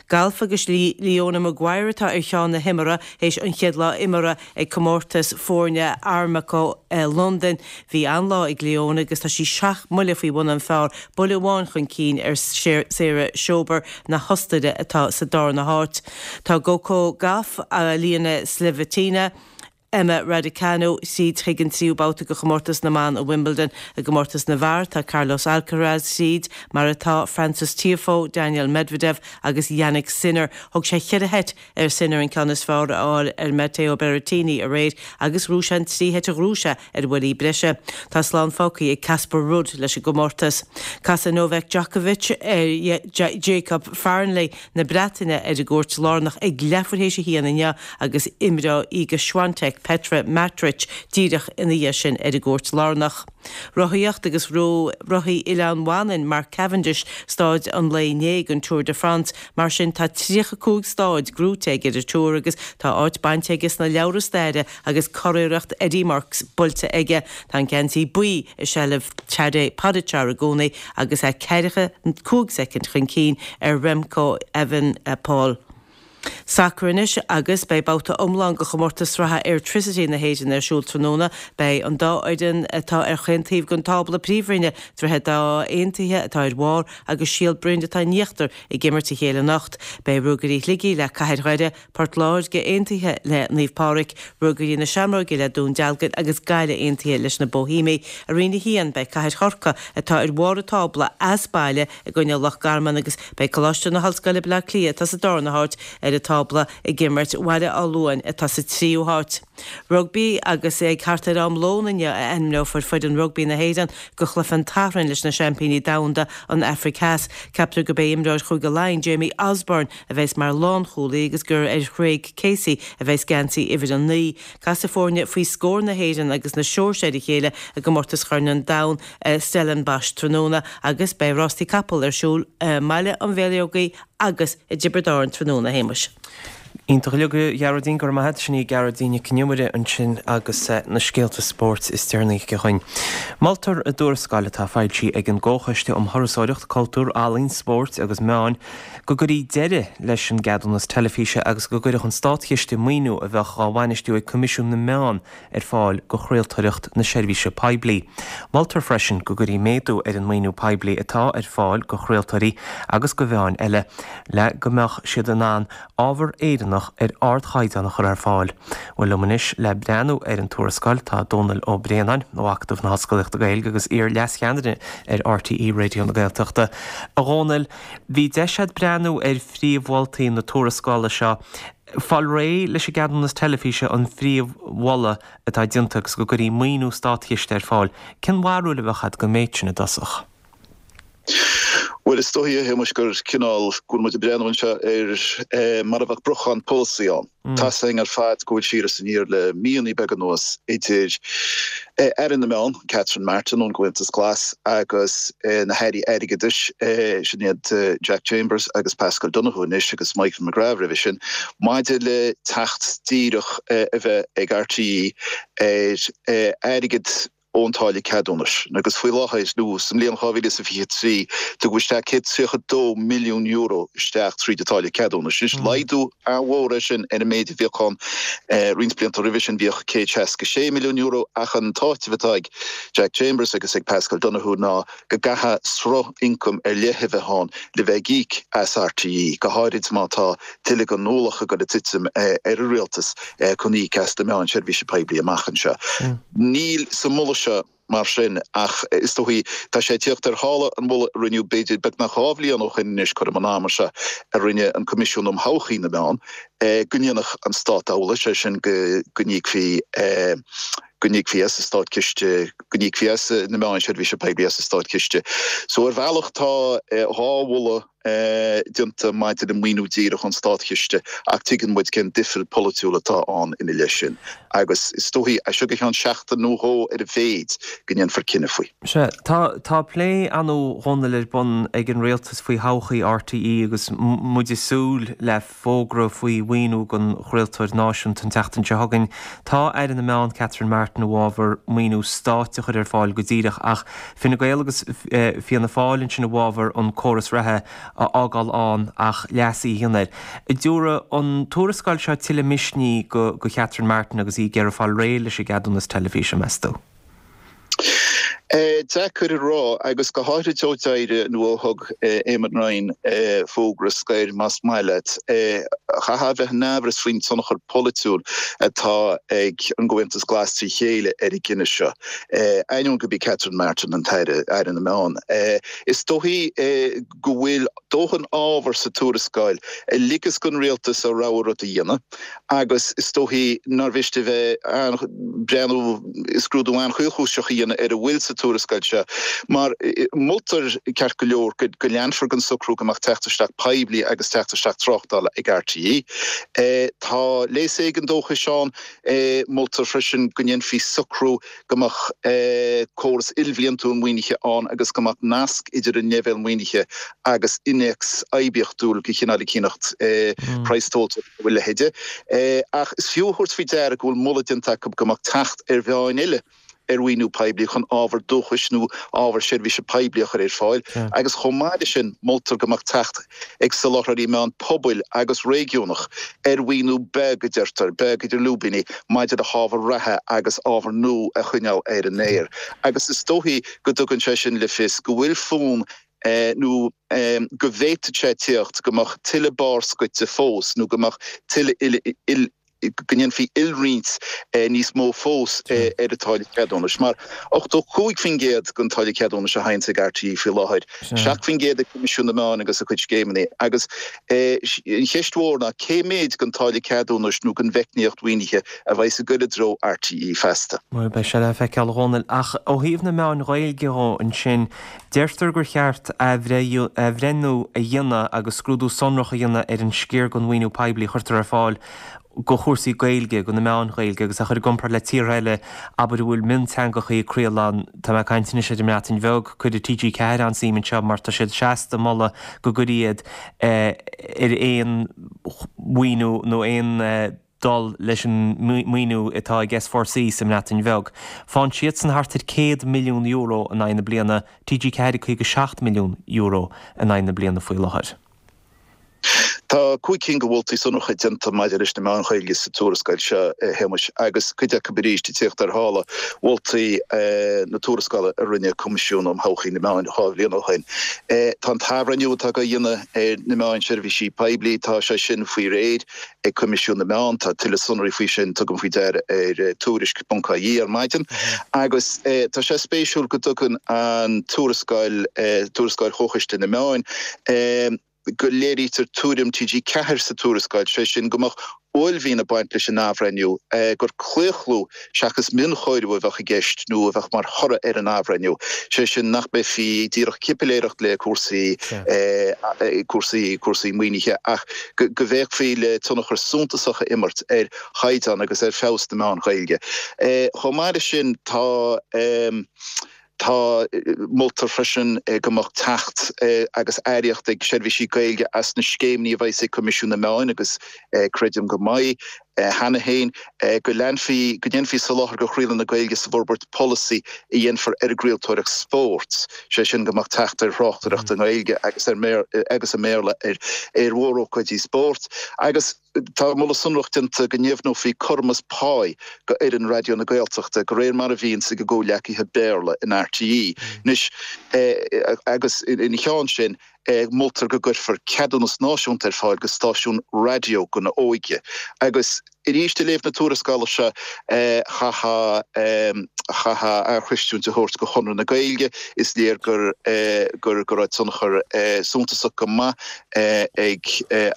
[SPEAKER 6] Galf agus Leona Maguire atá ar cheann na himeartha théis an chéad lá imeartha ag comórtas foirne Armco i Londain. Bhí an-lá ag Leona agus tá sí seacht mbuille faoi bhun an phar, buille amháin chun cinn ar Sarah Schober na hOstaire atá sa darna háit. Tá Coco Gauff, Elina Svitolina, Emma Raducanu tríd chuig an tríú babhta de chomórtas na mban i Wimbledon. I gcomórtas na bhfear, tá Carlos Alcaraz tríd, mar atá Frances Tiafoe, Daniil Medvedev agus Jannik Sinner. Thóg sé cheithre sheit ar Sinner an ceann is fearr a fháil ar Matteo Berrettini aréir agus ghnóthaigh sé an trí sheit a ghnóthaigh sé ar bhuillí breise. Tá slán fágtha ag Casper Ruud leis an gcomórtas. Casfaidh Novak Djokovic ar Jacob Fearnley na Breataine ar an gcúirt lárnach ag leathuair théis a haon inniu agus imreoidh Iga Swiatek Petra Martic díreach ina dhiaidh sin ar an gcúirt lárnach. Rothaíocht agus ghnóthaigh rothaí Oileán Mhanainn Mark Cavendish staid an lae inné den Tour de France. Mar sin tá 35 staid gnóthaithe aige ar an Tour agus tá áit bainte aige sna leabhra staire agus curiarracht Eddy Merckx buailte aige. Tá an geansaí buí i seilbh Tadej Pogačar i gcónaí agus é ceathracha 5 soicind chun cinn ar Remco Evenepoel. Sacar anois agus beidh babhta iomlán de chomórtas sraithe Airtricity na hÉireann ar siúl tráthnóna. Beidh an dá fhoireann atá ar chaon taobh den tábla príomhroinne, Droichead Átha Aontaithe atá ar bharr agus Síol Broin atá in íochtar, ag imirt a chéile anocht. Beidh Ruagairí Shligigh le Cathair Dhoire, Port Láirge aontaithe le Naomh Pádraig, Ruagairí na Seamróige le Dún Dealgan agus Gaillimh aontaithe leis na Boihéamaigh. I Roinn 1, beidh Cathair Chorcaí, atá ar bharr an tábla, as baile i gcoinne Loch Garman agus beidh Coláiste na hOllscoile Baile Átha Cliath, atá sa darna háit ar an tábla, ag imirt Bhaile Átha Luain, atá sa tríú háit. Rugbaí agus ag thart ar am lóin inniu a ainmneofar foireann rugbaí na hÉireann do chluiche an tSathairn leis na seaimpíní domhanda, an Afraic Theas. Ceaptar gurb é imreoir Chúige Laighean, Jamie Osborne, a bheas mar lánchúlaí agus gur ar Chraig Casey a bheas geansaí uimhir 9. Casfaidh foirne faoi scór na hÉireann agus na Seoirsia ar a chéile i gcomórtas Chorn an Domhain i Stellenbosch tráthnóna agus beidh rástaí capall ar siúl i mBaile an Bhéalógaigh agus i dTiobraid Árann tráthnóna, a Shéamais.
[SPEAKER 1] Iontach uilig, a Ghearóidín, go raibh maith agat. Sin í Gearóidín Nic an Iomaire ansin agus na scéalta spóirt is deireanaí aici chugainn. Moltar i dtuarascáil atá foilsithe ag an gComhchoiste um Thurasóireacht, Cultúr, Ealaín, Spóirt agus Meáin go gcuirfí deireadh leis an gceadúnas teilifíse agus go gcuirfeadh an státchiste maoiniú a bheadh dhá bhainistiú ag Coimisiún na Meán ar fáil do chraoltóireacht na seirbhíse poiblí. Moltar freisin go gcuirfí méadú ar an maoiniú poiblí atá ar fáil do chraoltóirí agus do mheáin eile le go mbeadh siad in ann ábhar Éireannach ar ardchaighdeán a chur ar fáil. Bhuel, liom anois le breathnú ar an tuarascáil tá Dónal Ó Braonáin ó Acadamh na hOllscolaíochta Gaeilge agus iar-leascheannaire ar RTÉ Raidió na Gaeltachta. A Dhónaill, bhí deis agat breathnú ar phríomh-mholtaí na tuarascála seo. Fáil réidh leis an gceadúnas teilifíse an phríomh-mholadh atá déanta agus go gcuirfí maoiniú státchiste ar fáil. Cén bharúil a bheadh agat den méid sin i dtosach?
[SPEAKER 7] Bhuel, is dóichí, a Shéamais, gur cineál, go bhfuil muid ag breathnú anseo ar mar a bheadh briochán polasaí ann. Tá's againn ar fad go bhfuil siar is aniar le míonna beaga anuas idir Aire na Meán, Catherine Martin ón gComhaontas Glas agus na hAirí Airgeadais, sin iad Jack Chambers agus Paschal Donohoe anois agus Michael McGrath roimhe sin, maidir le teacht díreach a bheith ag RTÉ ar airgead ón táille ceadúnais agus faoi láthair, nó sa mbliain 2023, tugadh isteach €132 milliún isteach tríd an táille ceadúnais. Anois, laghdú an-mhór é sin ar an méid a bhíodh ann roinnt blianta roimhe sin, bhíodh €166 milliún, ach an t-áiteamh atá ag Jack Chambers agus ag Paschal Donohoe ná go gcaithfidh sruth ioncaim ar leith a bheith ann le bheith ag íoc as RTÉ, go háirid má tá tuilleadh den ualach ag dul ag titim ar an rialtas chun íoc as na meáin seirbhíse poiblí amach anseo. Níl sa mholadh seo mar sin ach is dóichí, tá sé ag tíocht ar shála an mholaidh a rinneadh b'fhéidir beagnach 2 bhliain ó shin anois, cothrom an ama seo, a rinne an Coimisiún um Thodhchaí na Meán, go ndéanfadh an Stát amhlaidh, sé sin go n-íocfaí go n-íocfaí as an Státchiste, go n-íocfaí as na meáin seirbhíse poiblí as an Státchiste. So ar bhealach tá 2 mholadh déanta maidir le maoiniú díreach ón Státchiste ach tuigeann muid cén difear polaitiúil atá ann ina leith sin agus is dóichí, as seo go ceann seachtain nó dhó ar a mhéid, go ndéanfar cinneadh faoi.
[SPEAKER 1] Sea, tá, tá plé ar ndóigh a Dhónaill ar bun ag an Rialtas faoi thodhchaí RTÉ agus muid ag súil le fógra faoi mhaoiniú don chraoltóir náisiúnta an tseachtain seo chugainn. Tá Aire na Meán Catherine Martin i bhfabhar maoiniú stáit a chur ar fáil go díreach ach Fine Gael agus Fianna Fáil ansin i bhfabhar an córas reatha a fhágáil ann ach leasuithe a dhéanamh air. An dtabharfaidh an tuarascáil seo tuilleadh misnigh do Catherine Martin agus í ag iarraidh fáil réidh leis an gceadúnas teilifíse, meas tú?
[SPEAKER 7] Deacair a rá, agus go háithrid ó d'éirigh nó ó thug Eamon Ryan fógra scoir, más maith leat. Chaithfeá a bheith in aimhreas faoin tionchar polaitiúil atá ag an gComhaontas Glas trí chéile ar an gcinneadh seo, ainneoin gurb í Catherine Martin an tAire, Aire na Meán. Is dóichí go bhfuil dóthain ábhar sa tuarascáil a ligfeas don rialtas a rogha rud a dhéanamh. agus is dóichí nár mhiste bheith breathnú, scrúdú an-chaolchúiseach a dhéanamh ar a bhfuil sa tuarascáil seo, mar moltar, ceart go leor, go leanfar den socrú go mbeadh teacht isteach poiblí agus teacht isteach tráchtála ag RTÉ. Tá léas éigin dóchais ann. Moltar freisin go ndéanfaí socrú go mbeadh córas ilbhliantúil maoinithe ann agus go mbeadh nasc idir an leibhéal maoinithe agus innéacs oibiachtúil de chineál eicíneacht, praghas tomhaltóirí nó a leithéide. Ach is fiú a thabhairt faoi deara go bhfuil moladh déanta acu go mbeadh teacht ar mheáin eile ar mhaoiniú poiblí chun ábhar dúchais nó ábhar seirbhíse poiblí a chur ar fáil agus chomh maith leis sin moltar go mbeadh teacht ag soláthróirí meán pobail agus réigiúnach ar mhaoiniú beag, a deirtear, beag idir lúibíní, maidir le hábhar reatha agus ábhar nua a choinneáil ar an aer. Agus is dóichí go dtugann sé sin le fios go bhfuil fonn nó go bhféadfadh sé tíocht go mbeadh tuilleadh barr scoite fós nó go mbeadh tuilleadh go ndéanfaí ilroinnt níos mó fós ar an táille cheadúnais. Mar 85% den táille ceadúnais a thaganns ag RTÉ faoi láthair, 7% ag Coimisiún na Meán agus a chuid scéimeanna. Agus an cheist mhór ná cé méid den táille ceadúnais nó den mheicníocht mhaoinithe a bheas ag goil i dtreo RTÉ feasta.
[SPEAKER 1] Bhuel, beidh sé le feiceáil, a Dhónaill. Ach ó thaobh na meáin Ghaeilge dhó ansin, deirtear gur cheart athbhreithniú a dhéanamh agus scrúdú sonrach a dhéanamh ar an sciar den mhaoiniú poiblí a chuirtear ar fáil do chúrsaí Gaeilge, do na meáin Ghaeilge agus a chur i gcomparáid le tíortha eile, abair, a bhfuil mionteangachaí ag craoladh ann. Tá mé ag caint anois ar an mBreatain Bheag, cuireadh TG4 an-suim anseo mar tá siad seasta ag moladh go gcuirfí iad ar aon mhaoiniú nó aon dul leis an maoiniú atá ag S4C sa mBreatain Bheag. Faigheann siadsan thart ar €100 milliún in aghaidh na bliana, TG4 €57 milliún in aghaidh na bliana faoi láthair.
[SPEAKER 7] Tá 5 cinn de mholtaí sonracha déanta maidir leis na meáin Ghaeilge sa tuarascáil seo, a Shéamais, agus cuid acu arís ag tíocht ar shála mholtaí na tuarascála a rinne Coimisiún um Thodhchaí na Meán 2 bhliain ó shin. Tá an t-athbhreithniú atá á dhéanamh ar na meáin seirbhísí poiblí, tá sé sin faoi réir ag Coimisiún na Meán. Tá tuilleadh sonraí faoi sin, tugaim faoi deara, ar Tuairisc ponc ie ar maidin. Agus tá sé spéisiúil go dtugann an tuarascáil, tuarascáil Chomhchoiste na Meán, go léirítear tuairim TG4 sa tuarascáil, sé sin go mbeadh. Uaillmhian ag baint leis an athbhreithniú, gur claochlú seachas mionchóiriú a bheadh i gceist nó a bheadh mar thoradh ar an athbhreithniú, sé sin nach mbeifí díreach ag cipiléireacht le cúrsaí cúrsaí cúrsaí maoinithe ach go bhféachfaí le tionchar suntasach a imirt ar chaighdeán agus ar feabhas na meán Gaeilge. Chomh maith leis sin tá. Tá, moltar freisin go mbeadh teacht agus earraíocht ag seirbhísí Gaeilge as na scéimeanna a bheas ag Coimisiún na Meán agus creidim go mbeidh cheana féin, go leanfaí, go ndéanfaí soláthar do chraoladh na Gaeilge sa bhforbairt polasaí a dhéanfar ar an gcraoltóireacht spóirt, sé sin go mbeadh teacht ar thráchtaireacht i nGaeilge agus agus i mBéarla ar mhórócáidí spóirt agus. Tá moladh sonrach déanta go ndeimhneofaí cothromas páí go fhoireann Raidió na Gaeltachta, de réir mar a bhíonns ag a gcomhghleacaithe Béarla in RTÉ. Anois, agus ina cheann sin, moltar go gcuirfear ceadúnas náisiúnta ar fáil go stáisiún raidió don óige. Agus arís, ag léamh na tuarascála seo, chaithfeá, chaithfeá athchreistiúint a thabhairt go Chonradh na Gaeilge. Is léir gur, gur, go raibh tionchar suntasach go maith ag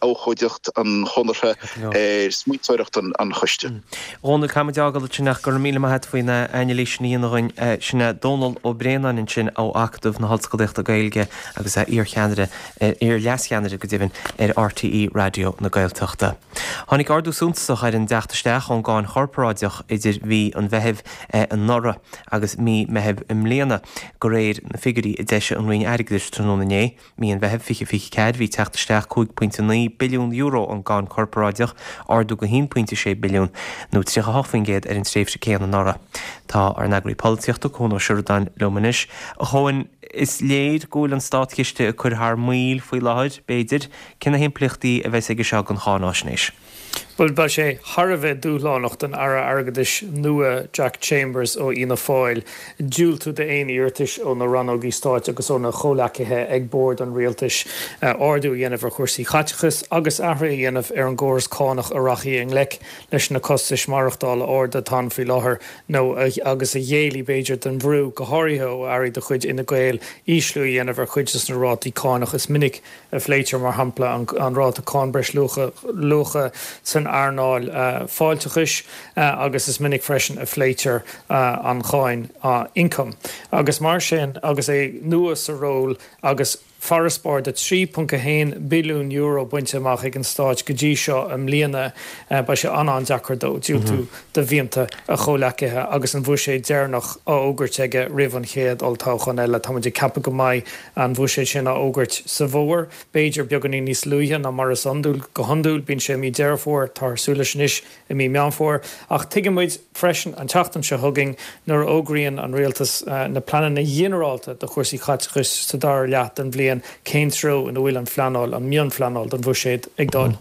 [SPEAKER 7] abhcóideacht an Chonartha ar smaointeoireacht an choiste.
[SPEAKER 1] A Dhónaill, caithfidh muid é a fhágáil ansin ach go raibh míle maith agat faoin anailís sin a dhéanamh dhúinn. Sin é Dónall Ó Braonáin ansin ó Acadamh na hOllscolaíochta Gaeilge agus é iar-cheannaire, iar-leascheannaire go deimhin, ar RTÉ Raidió na Gaeltachta. Tháinig ardú suntasach ar an dteacht isteach ón gcáin chorparáideach idir mhí an Mheithimh anuraidh agus mí Meithimh i mbliana, de réir na figiúirí a d'eisigh an Roinn Airgeadais tráthnóna inné. Mí an Mheithimh 2024, bhí teacht isteach €5.9 billiún ón gcáin chorparáideach, ardú de €1.6 billiún, nó 38% ar an tréimhse céanna anuraidh. Tá ár n-eagraí polaitíochta, Cuan Ó Seireadáin, liom anois. A Chuain, is léir go bhfuil an státchiste ag cur thar maoil faoi láthair, b'fhéidir. Cé na himpleachtaí a bheas aige seo don cháináisnéis?
[SPEAKER 8] Bhuel, beidh sé thar a bheith dúshlánach don Aire Airgeadais nua Jack Chambers ó Fhianna Fáil diúltú d'aon iarratais ó na rannógaí stáit agus óna chomhleacaithe ag bord an rialtais ardú a dhéanamh ar chúrsaí caiteachais agus athruithe a dhéanamh ar an gcóras cánach a rachaidh i ngleic leis na costais maireachtála arda atá ann faoi láthair nó agus a ghéillfidh b'fhéidir don bhrú, go háirithe ó airí de chuid Fhine Gael, ísliú a dhéanamh ar chuid de na rátaí cánach is minic a phléitear, mar shampla, an ráta cáin breisluacha san earnáil fáilteachais agus is minic freisin a phléitear an cháin ioncaim. Agus mar sin, agus é nua sa ról agus farasbarr de €3.1 billiún bainte amach ag an Stát go dtí seo i mbliana, beidh sé an-an-deacair dó diúltú do mhianta a chomhleacaithe agus an bhuiséad deireanach á fhógairt aige roimh an chéad olltoghchán eile. Tá muid ag ceapadh go mbeidh an bhuiséad sin á fhógairt sa bhfómhar, b'fhéidir beagáinín níos luaithe ná mar is iondúil. Go hiondúil, bíonn sé i mí Deireadh Fómhair, táthar ag súil leis anois i mí Meán Fómhair. Ach tuigeann muid freisin an tseachtain seo chugainn nuair a fhógraíonn an rialtas na pleananna ginearálta do chúrsaí caiteachais sa dara leath den bhliain cén treo ina bhfuil an phleanáil, an mhionphleanáil don bhuiséad ag dul.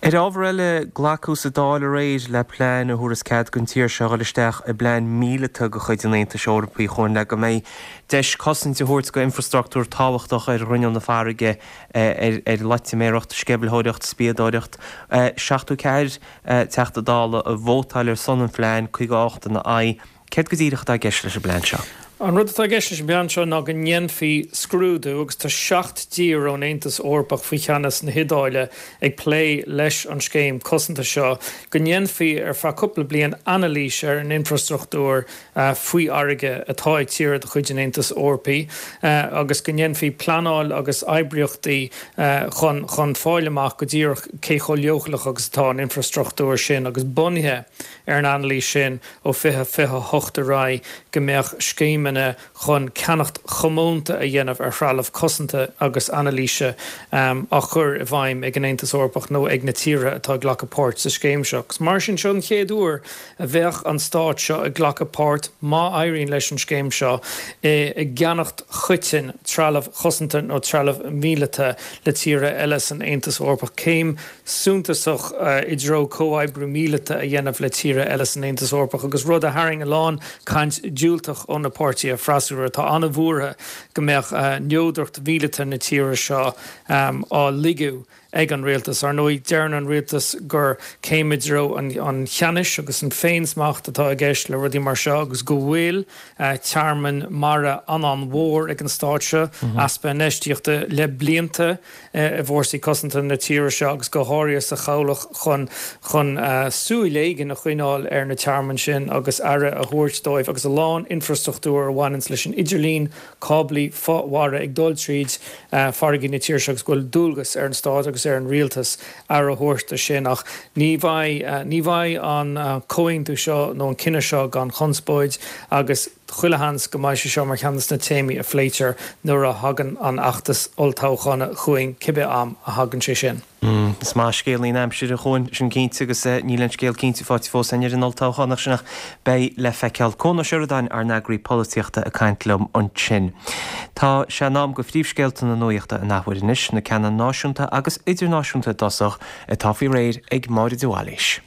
[SPEAKER 1] Ar ábhar eile, glacadh sa Dáil aréir le plean a thabharfas cead don tír seo dhul isteach i bplean míleata de chuid an Aontais Eorpaigh chomh le go mbeidh deis cosaint a thabhairt do infreastruchtúr tábhachtach ar ghrinneall na farraige ar loitiméireacht, sceimhlitheoireacht, spiadóireacht. 74 Teachta Dála a vótáil ar son an phlean, 58 ina aghaidh. Céard go díreach atá i gceist leis an bplean seo?
[SPEAKER 8] An rud atá i gceist leis an bplean seo ná go ndéanfaí scrúdú, agus tá 7 dtír ón Aontas Eorpach faoi cheannas na hIodáile ag plé leis an scéim cosanta seo, go ndéanfaí ar feadh cúpla bliain anailís ar an infreastruchtúr faoi fharraige atá ag tíortha de chuid an Aontais Eorpaigh agus go ndéanfaí pleanáil agus oibríochtaí chun chun fáil amach go díreach cé chomh leochaileach agus atá an infreastruchtúr sin agus bunaithe ar an anailís sin ó 2028 ar aghaidh go mbeadh scéimeanna chun ceannacht chomónta a dhéanamh ar threalamh cosanta agus anailíse á chur i bhfeidhm ag an Aontas Eorpach nó ag na tíortha atá ag glacadh páirt sa scéim seo. Agus mar sin, seo an chéad uair a bheadh an stát seo ag glacadh páirt, má éiríonn leis an scéim seo, i gceannacht choiteann trealamh chosanta nó trealamh míleata le tíortha eile san Aontas Eorpach. Céim suntasach i dtreo comhoibriú míleata a dhéanamh le tíortha eile san Aontas Eorpach agus rud a tharraing a lán caint diúltach ó na páirtithe. bpáirtithe freasúra atá an-bhuartha go mbeadh neodracht mhíleata na tíre seo á ligeadh ag an rialtas. Ar ndóigh, deireann an rialtas gur céim i dtreo an cheannais agus an féinsmacht atá i gceist le rudaí mar seo agus go bhfuil tearmann mara an-an-mhór ag an stát seo, easpa infheistíochta le blianta i bhfórsaí cosanta na tíre seo agus go háirithe sa chabhlach chun chun súil éigin a choinneáil ar na tearmainn sin agus aire a thabhairt dóibh agus a lán infreastruchtúr a bhaineanns leis an idirlíon cáblaí fo-mhara ag dul tríd farraigí na tíre seo agus go bhfuil dualgas ar an stát agus ar an rialtas aire a thabhairt do sin. Ach ní bheidh, ní bheidh an comhaontú seo nó an cinneadh seo gan chonspóid agus chuile sheans go mbeidh sé seo mar cheann de na téamaí a phléitear nuair a thagann an fheachtas olltoghchána chugainn, cibé am a thagann sé sin.
[SPEAKER 1] Is maith scéalaí na haimsire chugainn, sin cinnte, agus níl aon scéal cinnte faighte fós againn ar an olltoghchán ach sin ach beidh le feiceáil. Conn Ó Seireadáin, ár n-eagraí polaitíochta ag caint liom ansin. Tá sé in am go phríomhscéalta na nuachta an athuair anois, na ceanna náisiúnta agus idirnáisiúnta i dtosach, atá faoi réir ag Máire de Bhailís.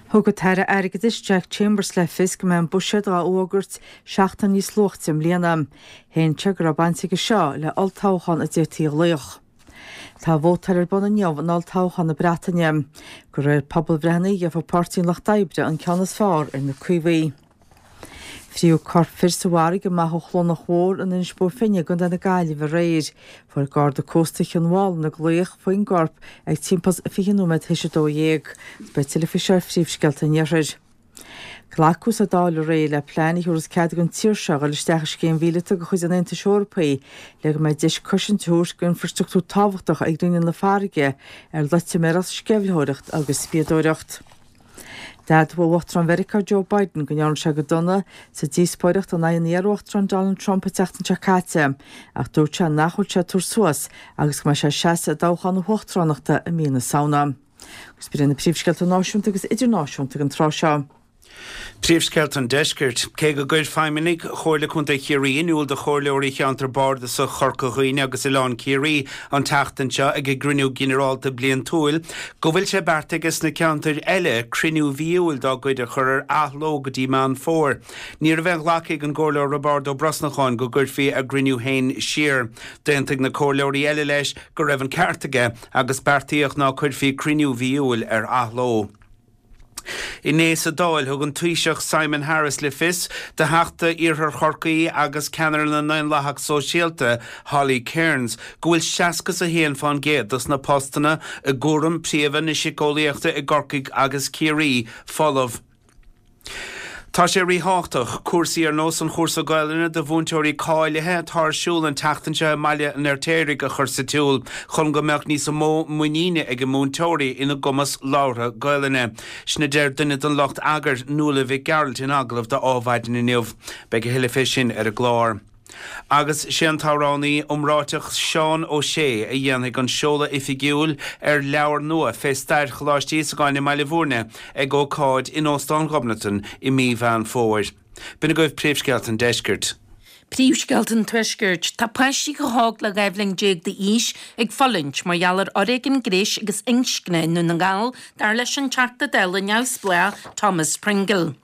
[SPEAKER 2] Thug an tAire Airgeadais Jack Chambers le fios go mbeidh an buiséad á fhógairt seachtain níos luaite i mbliana. Shéan sé go raibh baint aige seo le olltoghchán a d'fhéadfaí a ghlaoch. Tá vótáil ar bun inniu in olltoghchán na Breataine. De réir pobalbhreitheanna gheobhaidh Páirtí an Lucht Oibre an ceann is fearr ar na Caomhaigh. Fríodh corp fir sa bhfarraige amach ó Chlonach Mhór in Inis Bó Finne i gContae na Gaillimhe aréir. Fuair Garda Cósta Chionn Mhálanna glaoch faoin gcorp ag timpeall 20 nóiméad théis 12. Beidh tuilleadh faoi seo ar Phríomhscéalta an Iarthair. Glacadh sa Dáil aréir le plean a thabharfas cead don tír seo dhul isteach i scéim mhíleata de chuid an Aontais Eorpaigh le go mbeidh deis cosaint a thabhairt d'infrastruchtúr tábhachtach ag grinneall na farraige ar loitiméireacht, sceimhlitheoireacht agus spiadóireacht. D'admhaigh Uachtarán Mheiriceá Joe Biden go ndearna sé go dona sa díospóireacht in aghaidh an iar-uachtaráin Donald Trump an tseachtain seo caite ach dúirt sé nach bhfuil sé ag tabhairt suas agus go mbeidh sé ag seasamh i dtoghchán na huachtaránachta i mí na Samhna. Agus b'in iad na príomhscéalta náisiúnta agus idirnáisiúnta ag an tráth seo.
[SPEAKER 3] Príomhscéalta an Deiscirt. Cé go gcuir feidhmeannaigh Chomhairle Contae Chiarraí in iúl do chomhairleoirí cheantar bardasach Chorca Dhuibhne agus Oileán Ciarraí an tseachtain seo ag a gcruinniú ginearálta bliantúil go bhfuil sé beartaithe aige sna ceantair eile cruinniú mhí Iúil dá gcuid a chur ar athló go dtí Meán Fómhair, ní raibh aon ghlacadh ag an gComhairleoir Roibeárd Ó Brosnacháin go gcuirfí a gcruinniú féin siar. D'aontaigh na comhairleoirí eile leis go raibh an ceart aige agus beartaíodh ná cuirfí cruinniú mhí Iúil ar athló. Inné sa Dáil, thug an Taoiseach Simon Harris le fios do Theachta Iarthar Chorcaí agus ceannaire na nDaonlathach Sóisialta, Holly Cairns, go bhfuil 61 fán gcéad dos na postanna i gcúram príomha na síceolaíochta i gCorcaigh agus Ciarraí folamh. Tá sé ríthábhachtach cúrsaí ar nós an chúrsa Gaelainne do mhúinteoirí cáilithe atá ar siúl an tseachtain seo i mBaile an Fheirtéaraigh a chur sa tsiúl chun go mbeadh níos mó muiníne ag múinteoirí ina gcumas labhartha Gaelainne. Sin a deir duine den lucht eagair, Nuala Mhic Gearailt in agallamh do Adhmhaidin inniu. Beidh a thuilleadh fé sin ar an gclár. Agus sé an t-amhránaí iomráiteach Seán Ó Sé a dhéanfaidh an seoladh oifigiúil ar leabhar nua fé stair Choláiste Íosagáin i mBaile Bhúirne ag ócáid in Óstán Ghobnatan i mí Mheán Fómhair. B'in agaibh Príomhscéalta an Deiscirt.
[SPEAKER 4] Príomhscéalta an Tuaiscirt. Tá páistí chomh hóg le 12 bhliain d'aois ag fulaingt mar gheall ar fhoréigean gnéis agus inscne i nDún na nGall, dar leis an Teachta Dála neamhspleách Thomas Pringle.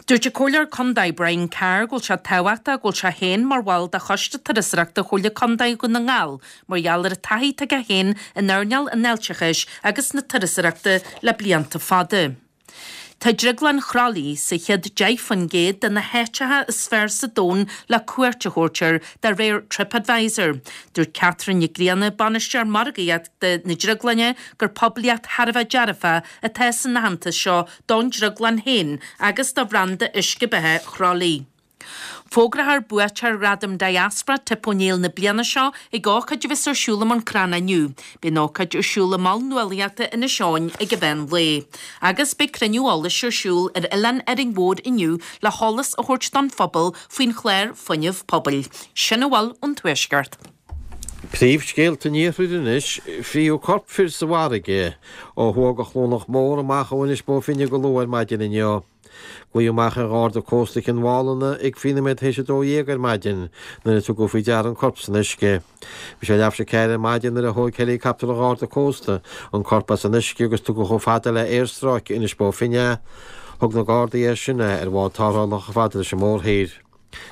[SPEAKER 4] Dúirt an Comhairleoir Contae Brian Carr go bhfuil sé tábhachtach go bhfuil sé féin mar bhall de Choiste Turasóireachta Chomhairle Contae Dhún na nGall mar gheall ar an taithí atá aige féin in earnáil an fháilteachais agus na turasóireachta le blianta fada. Tá Drioglann Chroithlí sa chéad 10% de na háiteacha is fearr sa domhan le cuairt a thabhairt air de réir TripAdvisor. Dúirt Catherine Nic Grianna, Bainisteoir Margaíochta na Drioglainne, gur poiblíocht thar a bheith dearfach atá san aitheantas seo don drioglann féin agus do bhranda uisce beatha Chroithlí. Fógrófar buaiteoir Ghradam Diaspora Tip O'Neill na bliana seo ag ócáid a bheas ar siúl i mBun Cranncha inniu. Beidh an ócáid ar siúl i Mol Nuálaíochta Inis Eoghain ag an mheán lae. Agus beidh cruinniú eolais ar siúl ar Oileán Árainn Mhór inniu le heolas a thabhairt don phobal faoin chlár Fuinneamh Pobail. Sin a bhfuil ón Tuaisceart.
[SPEAKER 5] Príomhscéalta an Iarthair anois, Frítheadh corp fir sa bhfarraige ó thuaidh de Chluanach Mór amach ó Inis Bó Finne go luath ar maidin inniu. Glaodh amach ar Gharda Cósta Chionn Mhálanna ag faoi nóiméad théis 12 ar maidin nuair a tugadh faoi deara an corp san uisce. Bhí sé leathuair tar éis a 4 ar maidin nuair a thóig heileacaptar an Gharda Cósta an corp as an uisce agus tugadh chomh fada le aerstráice Inis Bó Finne é. Thug na Gardaí as sin é ar bhád tarrthála chomh fada leis an mórthír.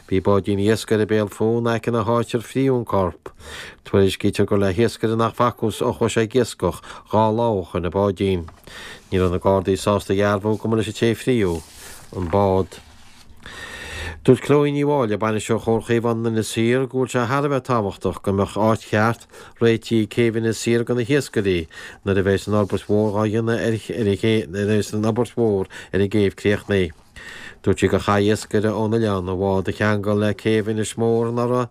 [SPEAKER 5] Bhí báidín iascaire béal fúinn in aice na háite ar fríodh an corp. Tuairiscítear gur le hiascaire nach bhfacthas ó chuaigh sé ag iascach 2 lá ó shoin an báidín. Ní raibh na Gardaí sásta a dhearbhú go mba leis an té a fríodh an bád. Dúirt Chloe Ní Mháille, Bainisteoir Chomhar Chaomhán Inis Oírr, go bhfuil sé thar a bheith tábhachtach go mbeadh áit cheart réitithe ag céibh Inis Oírr do na hiascairí nuair a bheas an fhorbairt mhór dhá dhéanamh ar nuair a bheas an obair mhór ar an gcéibh críochnaithe. Dúirt sí gur chaith iascaire ón oileán a bhád a cheangal le céibh Inis Mór anuraidh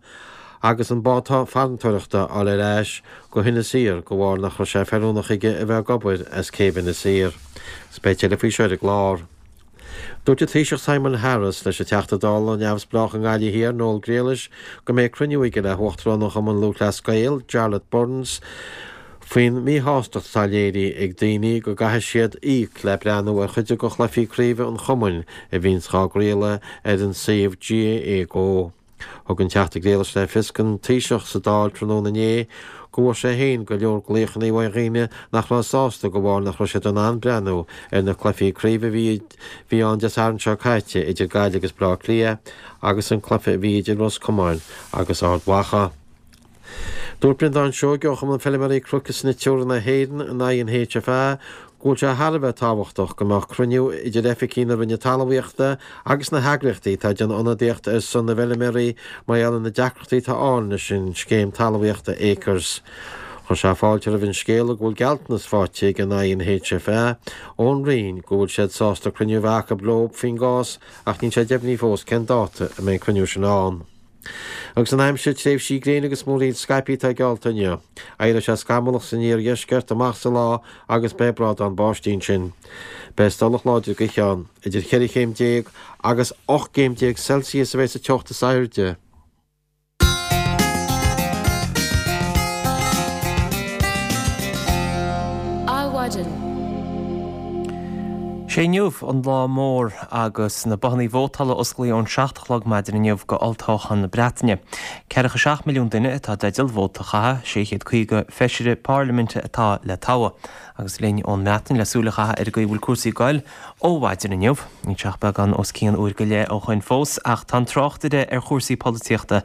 [SPEAKER 5] agus an bád farantóireachta a fháil ar ais go hInis Oírr de bharr nach raibh sé feiliúnach aige a bheith ag obair as céibh Inis Oírr. Is beidh tuilleadh faoi seo ar an gclár. Dúirt an Taoiseach Simon Harris leis an Teachta Dála neamhspleách i nGaillimh Thiar, Noel Grealish, go mbeidh cruinniú aige le hUachtarán an Chumainn Lúthchleas Gael, Jarlath Burns, faoin míshástacht atá léirithe ag daoine go gcaithfidh siad íoc le breathnú ar chuid de chluichí craoibhe an chumainn a bhíonns dhá gcraoladh ar an suíomh GAA Go. Thug an Teachta Grealish le fios don Taoiseach sa Dáil tráthnóna inné go bhfuair sé féin go leor glaochanna ó dhaoine nach raibh sásta de bharr nach raibh siad in ann breathnú ar na cluichí craoibhe a bhí bhí ann Dé Sathairn seo caite idir Gaillimh agus Baile Átha Cliath agus an cluiche a bhí idir Ros Comáin agus Ard Mhacha. Dúirt Breandán Seoige ó Chumann Feilméaraí Cnoic is Snoiteoirí na hÉireann, an INHFA, go bhfuil sé thar a bheith tábhachtach go mbeadh cruinniú idir oifigigh na Roinne Talmhaíochta agus na heagraíochtaí atá ag déanamh ionadaíocht ar son na bhfeilméaraí mar gheall ar na deacrachtaí atá ann leis an scéim talmhaíochta Acres. Chuir sé fáilte roimh an scéala go bhfuil gealltanas faighte ag an INHFA ón Roinn go bhfuil siad sásta cruinniú a bheith acu leo faoin gcás ach níl sé deimhnithe fós cén dáta a mbeidh an cruinniú sin ann. Agus an aimsir, tréimhsí gréine agus múraíl scaipthe atá geallta inniu. Éireoidh sé scamallach san iardheisceart amach sa lá agus beidh brádán báistí ansin. Beidh stolladh láidir gaoithe ann. Idir cheithre chéim déag agus 18 gcéim Celsius a bheidh sa teocht is airde.
[SPEAKER 1] Adhmhaidin. Sé inniu an lá mór agus na bothannaí vótála osclaithe ón 7 a chlog maidin inniu go olltoghchán na Breataine. 47 milliún duine atá i dteideal vóta a chaitheamh, 650 feisire parlaiminte atá le toghadh. Agus linn ón mBreatain le súil a chaitheamh ar an gcaoi a bhfuil cúrsaí ag goil ó mhaidin inniu. Níl sé ach beagán os cionn uair go leith ó shoin fós ach tá an tráchtaire ar chúrsaí polaitíochta,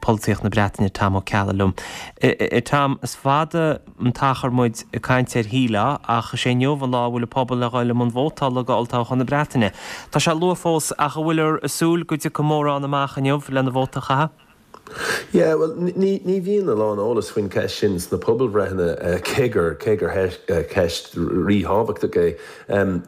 [SPEAKER 1] polaitíocht na Breataine, Tom Ó Ceallaigh liom. Tom, is fada an t-achar muid ag caint ar shílfeá, ach is é inniu an lá a bhfuil an pobal le dhul i mbun vótála go olltoghchán na Breataine. Tá sé luath fós ach an bhfuilear ag súil go dtiocfaidh mórán amach inniu lena vóta a chaitheamh?
[SPEAKER 9] Yeah, bhuel, ní, ní bhíonn a lán eolas faoin cheist sin sna pobalbhreitheanna, cé gur, cé gur ceist ríthábhachtach é.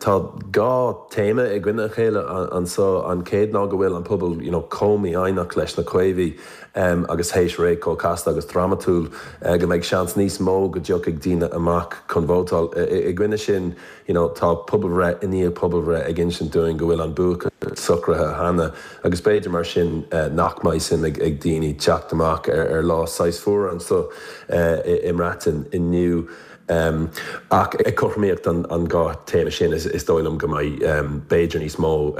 [SPEAKER 9] Tá dhá téama i gcoinne a chéile anso. An chéad ná go bhfuil an pobal, you know, chomh mífhoighneach leis na Caomhaigh. agus théis ré chomh casta agus drámatúil go mbeidh seans níos mó go dtiocfaidh daoine amach chun vótáil. I gcoinne sin, you know, tá pobalbhreith i ndiaidh pobalbhreith ag insint dúinn go bhfuil an buacaint socraithe cheana agus b'fhéidir mar sin nach mbeidh suim ag daoine teacht amach ar lá saghas fuar anso i mBreatain inniu. Ach ag cothromaíocht an dhá théama sin, is dóigh liom go mbeidh b'fhéidir níos mó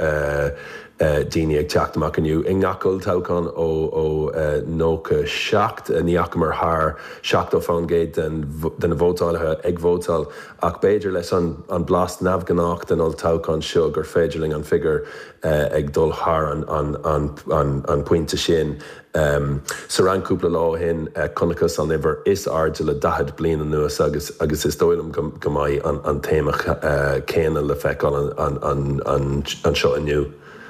[SPEAKER 9] daoine ag teacht amach inniu. I ngach olltoghchán ó 97, ní fhacamar thar 70% de na vótálaithe ag vótáil, ach b'fhéidir leis an blas neamhghnách den olltoghchán seo gur féidir linn an figiúr ag dul thar an pointe sin. Sa Fhrainc cúpla lá ó shin chonacthas an uimhir is airde le 40 bliain anuas agus agus is dóigh liom go mbeidh an téama céanna le feiceáil anseo inniu.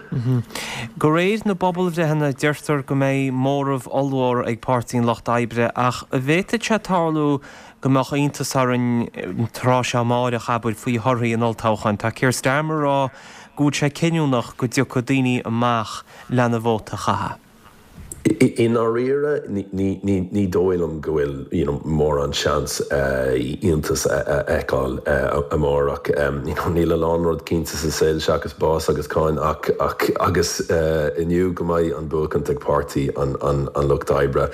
[SPEAKER 1] De réir na bpobalbhreitheanna deirtear go mbeidh móramh ollmhór ag Páirtí an Lucht Oibre ach an bhféadfadh sé tarlú go mbeadh iontas orainn an tráth seo amáireach, abair, faoi thorthaí an olltoghcháin. Tá Keir Starmer ag rá go bhfuil sé cinniúnach go dtiocfaidh daoine amach lena vóta a chaitheamh.
[SPEAKER 9] I ndáiríre, ní dóigh liom go bhfuil you know mórán seans iontas a fheiceáil amárach. You know níl a lán rud cinnte sa saol seachas bás agus cáin ach ach agus inniu go mbeidh an buachaint ag Páirtí an an Lucht Oibre.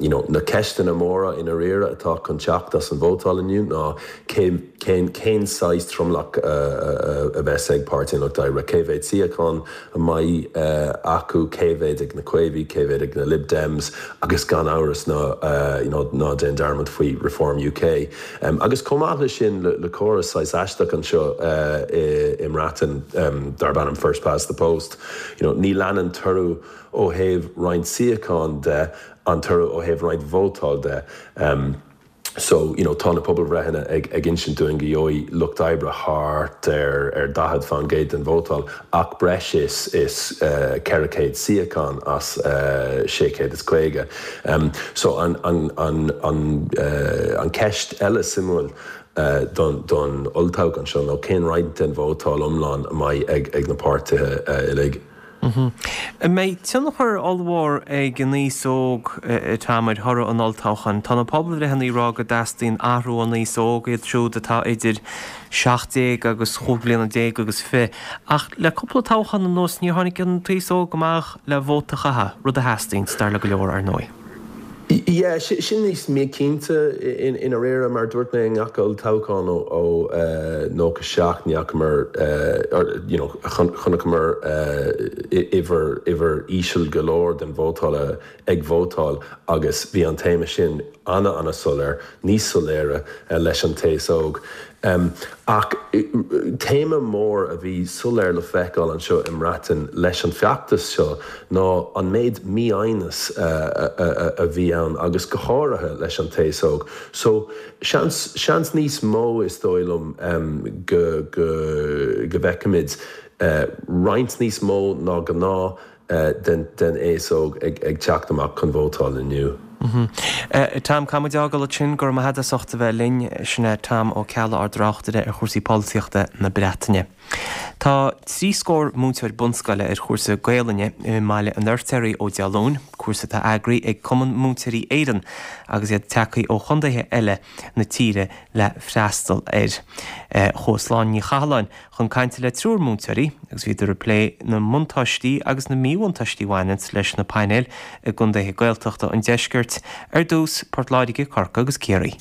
[SPEAKER 9] You know na ceisteanna móra i ndáiríre atá chun teacht as an vótáil inniu ná cé cén cén saghas tromlach a bheas ag Páirtí an Lucht Oibre, cé mhéad suíochán a mbeidh acu, cé mhéad ag na Caomhaigh, cé mhéad. fán gcéad ag na Lib Dems agus gan amhras ná you know ná déan dearmad faoi Reform UK. Agus chomh maith leis sin le córas saghas aisteach anseo i mBreatain darb ainm First Past the Post, you know ní leanann toradh ó thaobh roinnt suíochán de an toradh ó thaobh roinnt vótáil de. So, you know, tá na pobalbhreitheanna ag ag insint dúinn go gheobhaidh Lucht Oibre thart ar ar 40% den vótáil ach breis is is 400 suíochán as 650. So an an an an an ceist eile suimiúil don don olltoghchán seo ná cén roinnt den vótáil iomlán a mbeidh ag ag na páirtithe uilig.
[SPEAKER 1] An mbeidh tionchar ollmhór ag an aos óg, a Tom, ar thoradh an olltoghcháin? Tá na pobalbhreitheanna ag rá go dteastaíonn athrú ón aos óg, iad siúd atá idir 17 agus chúig bliana déag agus fi. Ach le cúpla toghchán anuas níor tháinig an t-aos óg amach le vóta a chaitheamh, rud a theastaíonn, dar le go leor, ar ndóigh.
[SPEAKER 9] Yeah, sin níos míchinnte i ndáiríre, mar dúirt mé i ngach olltoghchán ó 97 ní fhacamar, you know, chonaiceamar uimhir, uimhir íseal go leor den vótáil ag vótáil agus bhí an téama sin ana-ana-soiléir, níos soiléire leis an t-aos óg. Ach téama mór a bhí soiléir le feiceáil anseo i mBreatain leis an feachtas seo ná an méid mífhoighneas a bhí ann agus go háirithe leis an t-aos óg. So seans, seans níos mó is dóigh liom go, go, go bhfeicfimid roinnt níos mó ná gnáth den aos óg ag teacht amach chun vótáil inniu.
[SPEAKER 1] Tom, caithfidh muid a fhágáil ansin. Go raibh maith agat as ucht a bheith linn. Sin é Tom Ó Ceallaigh, ár dtráchtaire ar chúrsaí polaitíochta na Breataine. Tá trí scór múinteoir bunscoile ar chúrsa Gaolainne i mBaile an Fheirtéaraigh ó Dé Luain, cúrsa atá eagraithe ag Cumann Múinteoirí Éireann agus iad tagtha ó chontaetha eile na tíre le freastal air. Chuaigh Sláine Ní Chathalláin chun cainte le triúr múinteoirí agus bhíodar ag plé na mbuntáistí agus na míbhuntáistí a bhaineanns leis na painéil i gcontaetha Gaeltachta an deiscirt, ar dtús, Port Láirge, Corcaigh agus Ciarraí.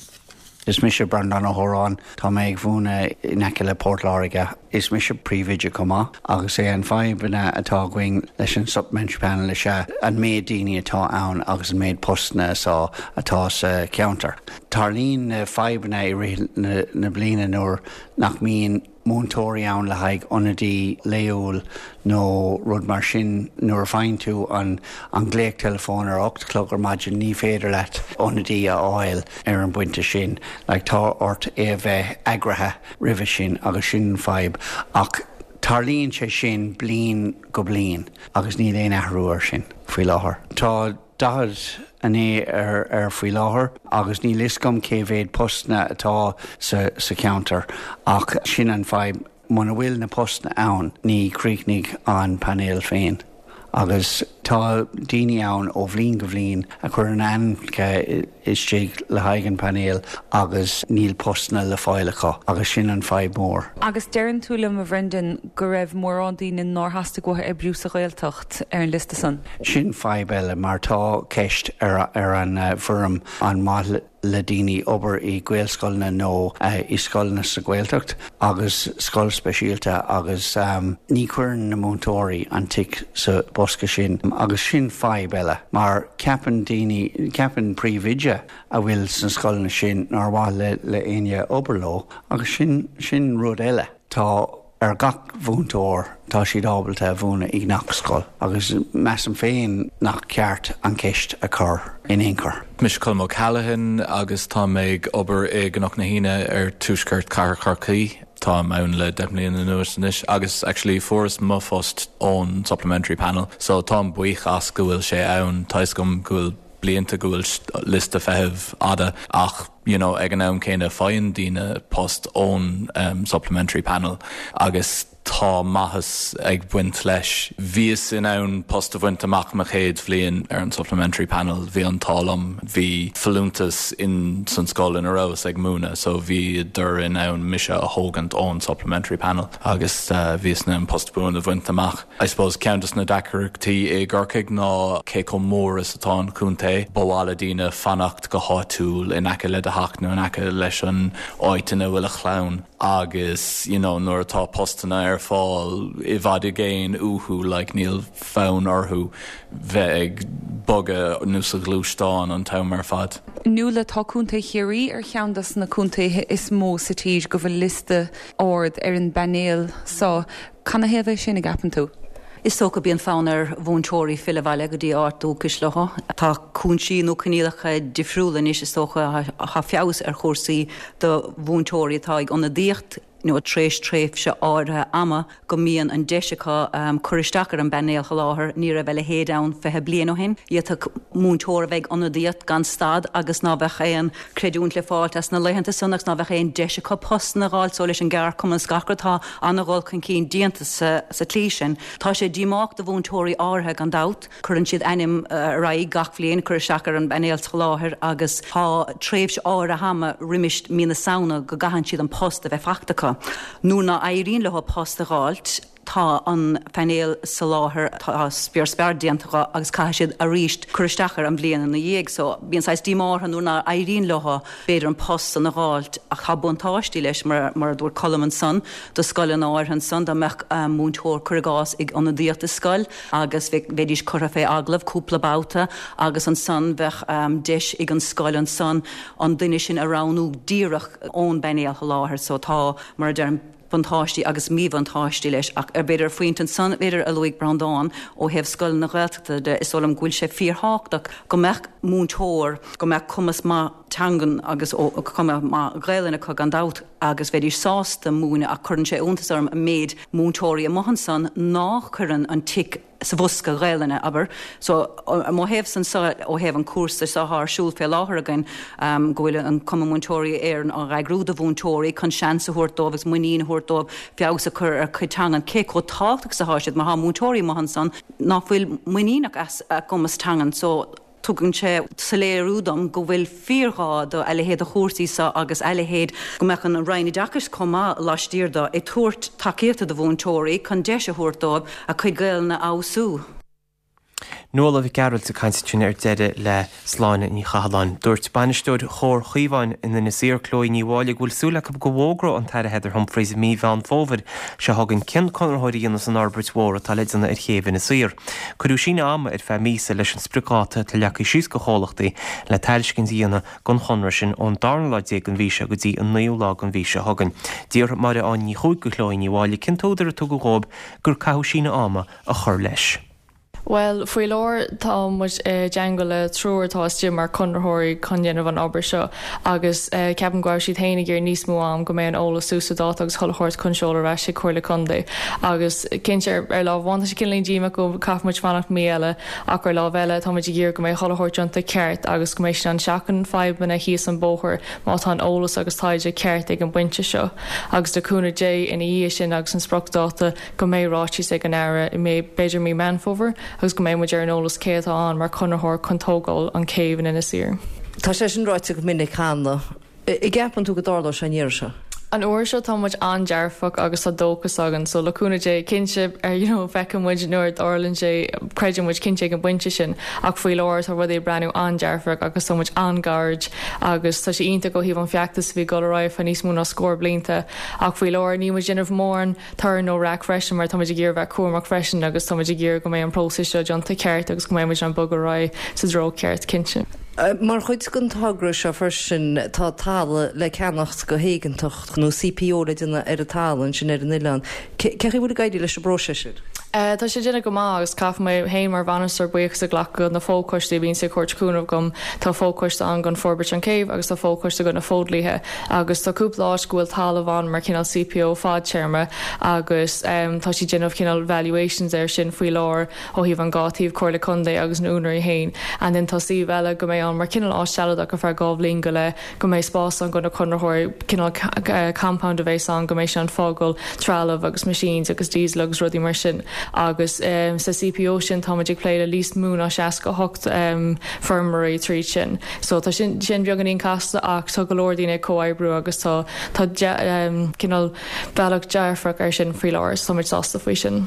[SPEAKER 10] Is mise Breandán Ó hÓráin. Tá mé ag mhúineadh in aice le Port Láirge. Is mise príomhoide chomh maith agus é an fadhbanna atá againn leis an supplementary panel is ea an méid daoine atá ann agus an méid postanna atá sa cheantar. Tarlaíonn na fadhbanna i rith na bliana nuair nach mbíonn múinteoirí ann le haghaidh ionadaí laethúil nó rud mar sin. Nuair a faigheann tú an an glaoch teileafóin ar a 8 a chlog ar maidin ní féidir leat ionadaí a fháil ar an bpointe sin. Like tá ort é a bheith eagraithe roimhe sin agus sin an fadhb. Ach tarlaíonn sé sin bliain go bliain agus níl aon athrú ar sin faoi láthair. Tá. 49 ar ar faoi láthair agus níl fhios agam cé mhéad postanna atá sa sa cheantar ach sin an fadhb, muna bhfuil na postanna ann ní chríochnaigh an painéal féin agus tá daoine ann ó bhliain go bhliain a chuireann a ainmneacha istigh le haghaidh an painéal agus níl postanna le fáil acu agus sin an fadhb mór.
[SPEAKER 11] Agus deireann tú liom a Bhrendan go raibh mórán daoine nár theastaigh uathu oibriú sa Ghaeltacht ar an liosta san?
[SPEAKER 10] Sin fadhb eile mar tá ceist ar ar an bhfoirm an maith le daoine obair i Gaelscoileanna nó i scoileanna sa Ghaeltacht agus scoil speisialta agus ní chuireann na múinteoirí an tic sa bosca sin agus sin fadhb eile mar ceapann daoine, ceapann príomhoide a bhfuil sna scoileanna sin nár mhaith le le éinne obair leo agus sin sin rud eile. Tá ar gach mhúinteoir, tá siad ábalta a mhúineadh i ngach scoil agus measaim féin nach ceart an ceist a chur in aon chor.
[SPEAKER 12] Mise Colm O'Callaghan agus tá mé ag obair i gCnoc na hAoine ar tuaisceart Cathair Chorcaí. Táim ann le 10 mbliana anuas anois agus actually fuaireas mo phost ón supplementary panel so táim buíoch as go bhfuil sé ann. Tá fhios agam go bhfuil blianta go bhfuil liosta feithimh fhada ach you know ag an am céanna faigheann daoine post ón supplementary panel agus tá maitheas ag baint leis. Bhíos in ann post a bhaint amach mo chéad bhliain ar an supplementary panel, bhí an t-ádh liom, bhí folúntas in san scoil ina rabhas ag múineadh so bhíodar in ann mise a thógaint ón supplementary panel agus bhíos in ann post buan a bhaint amach. I suppose ceann des na deacrachtaí i gCorcaigh ná cé chomh mór is atá an chontae. Ba mhaith le daoine fanacht go háitiúil in aice le do. theach nó in aice leis an áit ina bhfuil a chlann agus you know nuair atá postanna ar fáil i bhfad i gcéin uathu like níl fonn orthu bheith ag bogadh nó sa ghluaisteán an t-am ar fad.
[SPEAKER 11] Nuala, tá Contae Chiarraí ar cheann dos na contaetha is mó sa tír go bhfuil liosta ard ar an bpainéal so. Canathaobh é sin, a gceapann tú?
[SPEAKER 13] Is dócha bíonn fonn ar mhúinteoirí filleadh abhaile go dtí áit dúchais leo. Tá cúinsí nó coinníollacha difriúla anois is dócha, tá feabhas ar chúrsaí do mhúinteoirí atá ag ionadaíocht nó tar éis tréimhse áirithe ama go mbíonn an deis acu cur isteach ar an bpainéal sholáthair. Ní raibh a leithéid ann 20 bliain ó shin. D'fhéadfadh múinteoir a bheith ag ionadaíocht gan stad agus ná bheadh aon creidiúint le fáilt as na laethanta san agus ná bheadh aon deis acu postanna a dh'fháilt so leis an gceardchumann is gach rud tá ana-dhul chun cinn déanta sa tslí sin. Tá sé díomách do mhúinteoirí áirithe gan dabht. Cuireann siad ainm ar aghaidh gach bhliain cur isteach ar an bpainéal soláthair agus tá tréimhse áirithe ama roimis mí na Samhna go gcaitheann siad an post a bheith fachta acu. Nuair ná éiríonn leo post a dh'fháilt, tá an painéal soláthair, tá spior spear déanta dho agus caithfidh siad arís cur isteach air an bhliain ina dhiaidh. So bíonn saghas díomá orthu nuair ná éiríonn leo b'fhéidir an post san a dh'fháilt ach tá buntáistí leis mar mar a dúirt Colm ansan do scoileanna áirithe ansan dá mbeadh múinteoir cuir i gcás ag ionadaíocht i scoil agus bheidís curtha fé agallamh cúpla babhta agus ansan bheadh deis ag an scoil ansan an duine sin a roghnú díreach ón bpainéal sholáthair. So tá mar a deirim buntáistí agus míbhuntáistí leis ach ar b'fhéidir ar phointe ansan b'fhéidir a luaigh Breandán ó thaobh scoileanna Gaeltachta de is dóigh liom go bhfuil sé fíorthábhachtach go mbeadh múinteoir go mbeadh cumas maith teangan agus cuma maith Gaelainne acu gan dabht agus bheidís sásta múineadh ach cuireann sé iontas orm an méid múinteoirí amuigh ansan ná cuireann an tic sa bhosca Ghaelainne, abair. So, ó mo thaobhsa anso, ó thaobh an cúrsa seo atá ar siúl fé láthair againn, go bhfuil an Cumann Múinteoirí Éireann á eagrú do mhúinteoirí chun seans a thabhairt dóibh agus muinín a thabhairt dóibh feabhas a chur ar a gcuid teangan, cé chomh tábhachtach is atá siad mar tá múinteoirí amuigh ansan ná fuil muiníneach as a gcumas teangan. So, Tugann sé soiléiriú dom go bhfuil fíorghá do a leithéid de chúrsaí seo agus a leithéid go mbeadh an Roinn Oideachais chomh maith laistiar do ag tabhairt tacaíochta do mhúinteoirí chun deis a thabhairt dóibh a cuid Gaelainne a fheabhsú.
[SPEAKER 1] Nuala Mhic Gearailt ag caint ansin ar deireadh le Sláine Ní Chathalláin. Dúirt bainisteoir Chór Chaomháin in Inis Oírr, Chloe Ní Mháille, go bhfuil súil acu go bhfógróidh an tAire Heather Humphreys i mí Mheán Fómhair seo chugainn cén conraitheoir a dhéanfas an fhorbairt mhór atá le déanamh ar chéibh Inis Oírr. Cuireadh síneadh ama ar feadh míosa leis an spriocdháta atá leagtha síos do chomhlachtaí le tairiscint a dhéanamh don chonradh sin ón darna lá déag den mhí seo go dtí an naoú lá den mhí seo chugainn. D'fhiafraigh Máire Áine Ní Chuaig de Chloe Ní Mháille cén t-údar a tugadh dhóibh gur caitheadh síneadh ama a chur leis.
[SPEAKER 14] Bhuel, faoi láthair tá muid i dteangmháil le triúr atá istigh mar conraitheoirí chun dhéanamh an obair seo agus ceapaim go raibh siad féin ag iarraidh níos mó am go mbeidh an eolas suas le dáta agus chuile shórt chun seoladh ar ais chuig Comhairle Contae agus cinnte ar ar lámh amháin tá sé cineáilín díomách go caithfidh muid fanacht mí eile ach ar lámh eile tá muid ag iarraidh go mbeidh chuile shórt déanta ceart agus go mbeidh siad in ann seachaint fadhbanna thíos an bóthar má tá an eolas agus taighde ceart ag an bpointe seo agus le cúnamh Dé ina dhiaidh sin agus an spriocdháta go mbeidh ráiteas ag an Aire i mí, b'fhéidir mí Meán Fómhair, agus go mbeidh muid ar an eolas cé atá ann mar chonraitheoir chun tógáil an céibh in Inis Oírr.
[SPEAKER 6] Tá sé sin ráite go minic cheana. An gceapann tú go dtarlóidh sé an iarraidh seo?
[SPEAKER 14] An uair seo tá muid an-dearfach agus tá dóchas againn so le cúnamh Dé cinnte you know feicfidh muid nuair a dtarlaíonn sé, creideann muid cinnte ag an bpointe sin ach faoi láthair tá rudaí ag breathnú an-dearfach agus tá muid an-ghairid agus tá sé iontach ó thaobh an feachtas a bhí ag dul ar aghaidh feadh níos mó ná scór blianta ach faoi láthair níl muid ag déanamh mórán torann nó raic freisin mar táimid ag iarraidh bheith cúramach freisin agus táimid ag iarraidh go mbeidh an próiseas seo déanta ceart agus go mbeidh muid in ann bogadh ar aghaidh sa dtreo ceart, cinnte.
[SPEAKER 6] Mar chuid den togra seo freisin tá talamh le ceannacht go héigeantach nó CPO le déanamh ar an talamh ansin ar an oileán. Cé chaoi bhfuil ag éirí leis an bpróiseas sin?
[SPEAKER 14] Tá sé ag déanamh go maith agus caithfidh mé féin mar bhainisteoir buíochas a ghlacadh do na fochoistí a bhíonns ag thabhairt cúnamh dom. Tá fochoiste ann don forbairt an céibh agus tá fochoiste do na fodhlíthe. Agus tá cúpla áit go bhfuil talamh ann mar cineál CPO fadtéarma agus tá siad déanamh cineál valuations air sin faoi láthair ó thaobh an dhá taobh, Comhairle Contae agus na úinéirí féin. And then tá suíomh eile go mbeidh ann mar cineál áit sealadach ar feadh dhá bhliain go leith, go mbeidh spás ann do na conraitheoirí, cineál compound a bheas ann go mbeidh sé in ann fágáil trealamh agus machines agus diesel agus rudaí mar sin. Agus sa CPO sin táimid ag plé le níos mó ná 68 feirmeoirí tríd sin. So tá sin sin beagáinín casta ach tá go leor daoine ag comhoibriú agus tá tá cineál bealach dearfach air sin faoi láthair so táimid sásta faoi sin.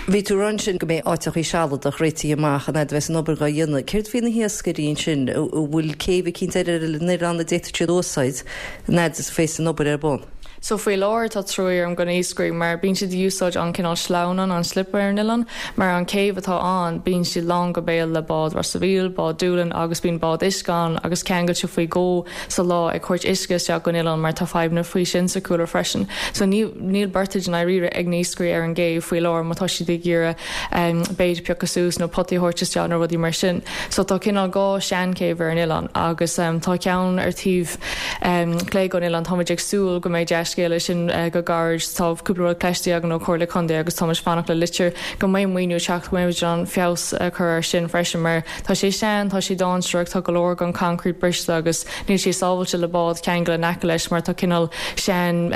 [SPEAKER 15] Bhí tú ag rá ansin go mbeidh áiteachaí sealadach réitithe amach an fhad a bheas an obair dhá dhéanamh. Céard faoi na hiascairí ansin? An bhfuil céibh eicínt ar an oileán a d'fhéadfadh siad a úsáid an fhad is a bheas an obair ar bun?
[SPEAKER 14] So faoi láthair tá truaí orm go na hiascairí mar bíonn siad ag úsáid an cineál sleamhnán, an slip ar an oileán, mar an céibh atá ann bíonn siad lán go béal le bád Ros a' Mhíl, bád Doolin agus bíonn bád uisce ann agus ceangailte faoi dhó sa lá ag thabhairt uisce isteach gon oileán mar tá fadhbanna faoi sin sa chúlra freisin. So níl níl berthage i ndáiríre ag na hiascairí ar an gcéibh faoi láthair má tá siad ag iarraidh bait a piocadh suas nó potaí a thabhairt isteach nó rudaí mar sin. So tá cineál dhá seanchéibh ar an oileán agus tá ceann ar taobh clé gon oileán. Táimid ag súil go mbeidh dea-scéala sin go gairid. Tá cúpla rud cloiste againn ó Chomhairle Contae agus táimid fanacht le litir go mbeidh maoiniú ag teacht go mbeidh muid in ann feabhas a chur air sin freisin mar Tá sé sean, tá sé dáinséarach, tá go leor gon concrete briste agus níl sé sábhailte le bád ceangal in aice leis mar tá cineál sean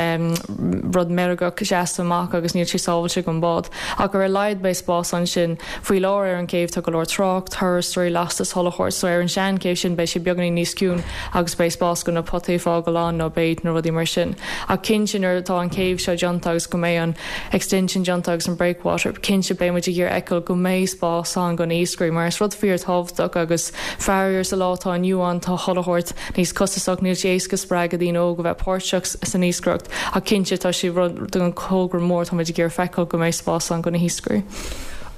[SPEAKER 14] rud meirgeach seasta amach agus níl sé sábhailte gon bád. Ach ar a laghad beidh spás ansin. Faoi láthair ar an gcéibh tá go leor trácht, turasóirí, lastas, chuile shórt so ar an sean chéibh sin beidh sé beagáinín níos ciúin agus beidh spás go na potaí a fágáil ann nó bait nó rudaí mar sin. Ach cinnte nuair atá an chéibh seo déanta agus go mbeidh an extension déanta agus an breakwater, cinnte beidh muid ag iarraidh fheiceáil go mbeidh spás ann go na iascairí mar is rud fíor tábhachtach agus faraor sa lá atá inniu ann tá chuile shórt níos costasach, níl sé éasca spreagadh daoine óg a bheith páirteach san iascaireacht ach cinnte tá sé rud den thogra mór tá muid ag iarraidh feiceáil go mbeidh spás ann go na hiascairí.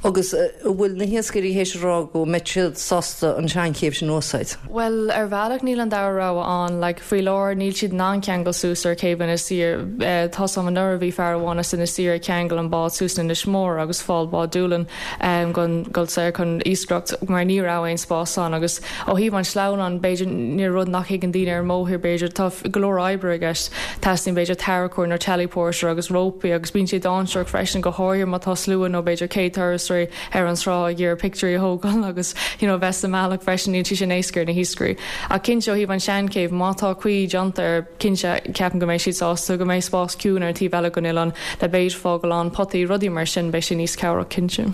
[SPEAKER 15] Agus an bhfuil na hiascairí théis a rá go mbeidh siad sásta an seanchéibh sin a úsáid?
[SPEAKER 14] Bhuel, ar bhealach níl an dara rogha ann. Like, faoi láthair níl siad in ann ceangal suas ar chéibh Inis Oírr. Tá 's agam anuraidh bhí fear amháin as Inis Oírr ag ceangal an bád suas in Inis Mór agus fáil bád Doolin chun dul soir chun iascaireacht mar ní raibh aon spás ann agus ó thaobh an sleamhnáin b'fhéidir níl rud nach thuigeann daoine ar an mbóthar b'fhéidir tá go leor oibre i gceist. Teastaíonn b'fhéidir tarracóir nó tellyporter agus rópaí agus bíonn sé dáinséarach freisin go háirithe má tá slua nó b'fhéidir 100 turasóirí ar an trá ag iarraidh pictiúirí a thógáil agus you know bheith sa mbealach freisin níl sé sin éasca ar na hiascairí. Ach cinnte ó thaobh an seanchéibh má tá caoi déanta air cinnte ceapaim go mbeidh siad sásta go mbeidh spás ciúin ar an taobh eile den oileán le bait a fhágáil ann, potaí, rudaí mar sin beidh sé níos cabhrach cinnte.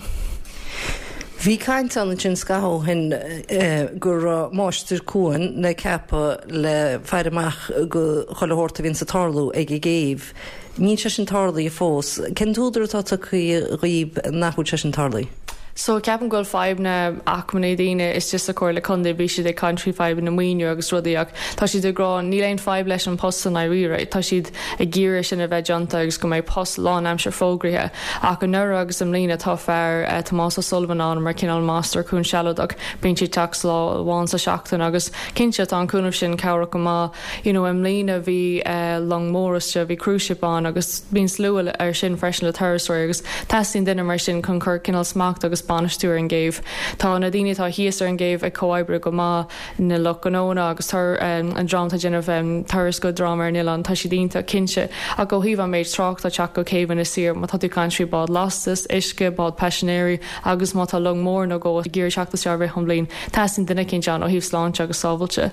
[SPEAKER 15] Bhí caint ann ansin scaitheamh ó shin go raibh máistir cuain le ceapadh le faire amach go chuile shórt a bhíonns ag tarlú ag an gcéibh. Níl sé sin tarlaithe fós. Cén t-údar atá tugtha dhaoib nach bhfuil sé sin tarlaithe?
[SPEAKER 14] So ceapaim go bhfuil fadhbanna acmhainní daoine istigh sa Chomhairle Contae, bhí siad ag caint faoi fadhbanna maoiniú agus rudaí ach tá siad ag rá níl aon fadhb leis an post i ndáiríre, tá siad ag iarraidh sin a bheith déanta agus go mbeidh post lánaimseartha fógraithe. Ach anuraidh agus i mbliana tá fear, Tomás O'Sullivan ann mar cineál máistir cuain sealadach, bíonn sé ag teacht lá amháin sa seachtain agus cinnte tá an cúnamh sin cabhrach go maith. You know i mbliana bhí long mór istigh, bhí cruise ship ann agus bíonn slua ar sin freisin le turasóirí agus teastaíonn duine mar sin chun cur cineál smacht agus bainistiú ar an gcéibh. Tá na daoine atá thíos ar an gcéibh ag comhoibriú go maith, na lucht gnónna agus an dream atá ag déanamh turas go dream ar an oileán, tá siad iontach cinnte. Ach ó thaobh an méid tráchta ag teacht go céibh Inis Oírr, má tá tú ag caint faoi bád lastais, uisce, bád paisinéirí agus má tá long mór nó dhó ag iarraidh teacht isteach i rith an bhliain, teastaíonn duine eicínt ann ó thaobh sláinte agus sábhailte.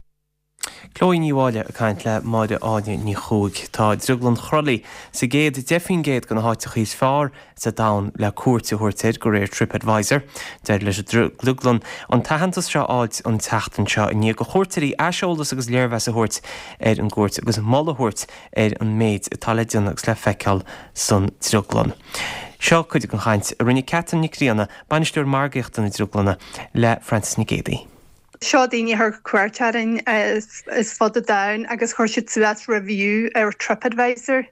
[SPEAKER 1] Chloe Ní Mháille ag caint le Máire Áine Ní Chuaig. Tá Drioglann Chroithlí sa gcéad 10% de na háiteacha is fearr sa domhan le cuairt a thabhairt air, de réir TripAdvisor. D'éirigh leis an drioglann an t-aitheantas seo a fháilt an tseachtain seo i ndiaidh do chuairteoirí aiseolas agus léirmheas a thabhairt ar an gcuairt agus moladh a thabhairt ar an méid atá le déanamh agus le feiceáil san drioglann. Seo cuid den chaint a rinne Catherine Nic Grianna, Bainisteoir Margaíochta na Drioglainne, le Frances Nic Géadaigh.
[SPEAKER 16] Seo daoine a chuir cuairt orainn as fud an domhain agus chuir siad suas review ar TripAdvisor.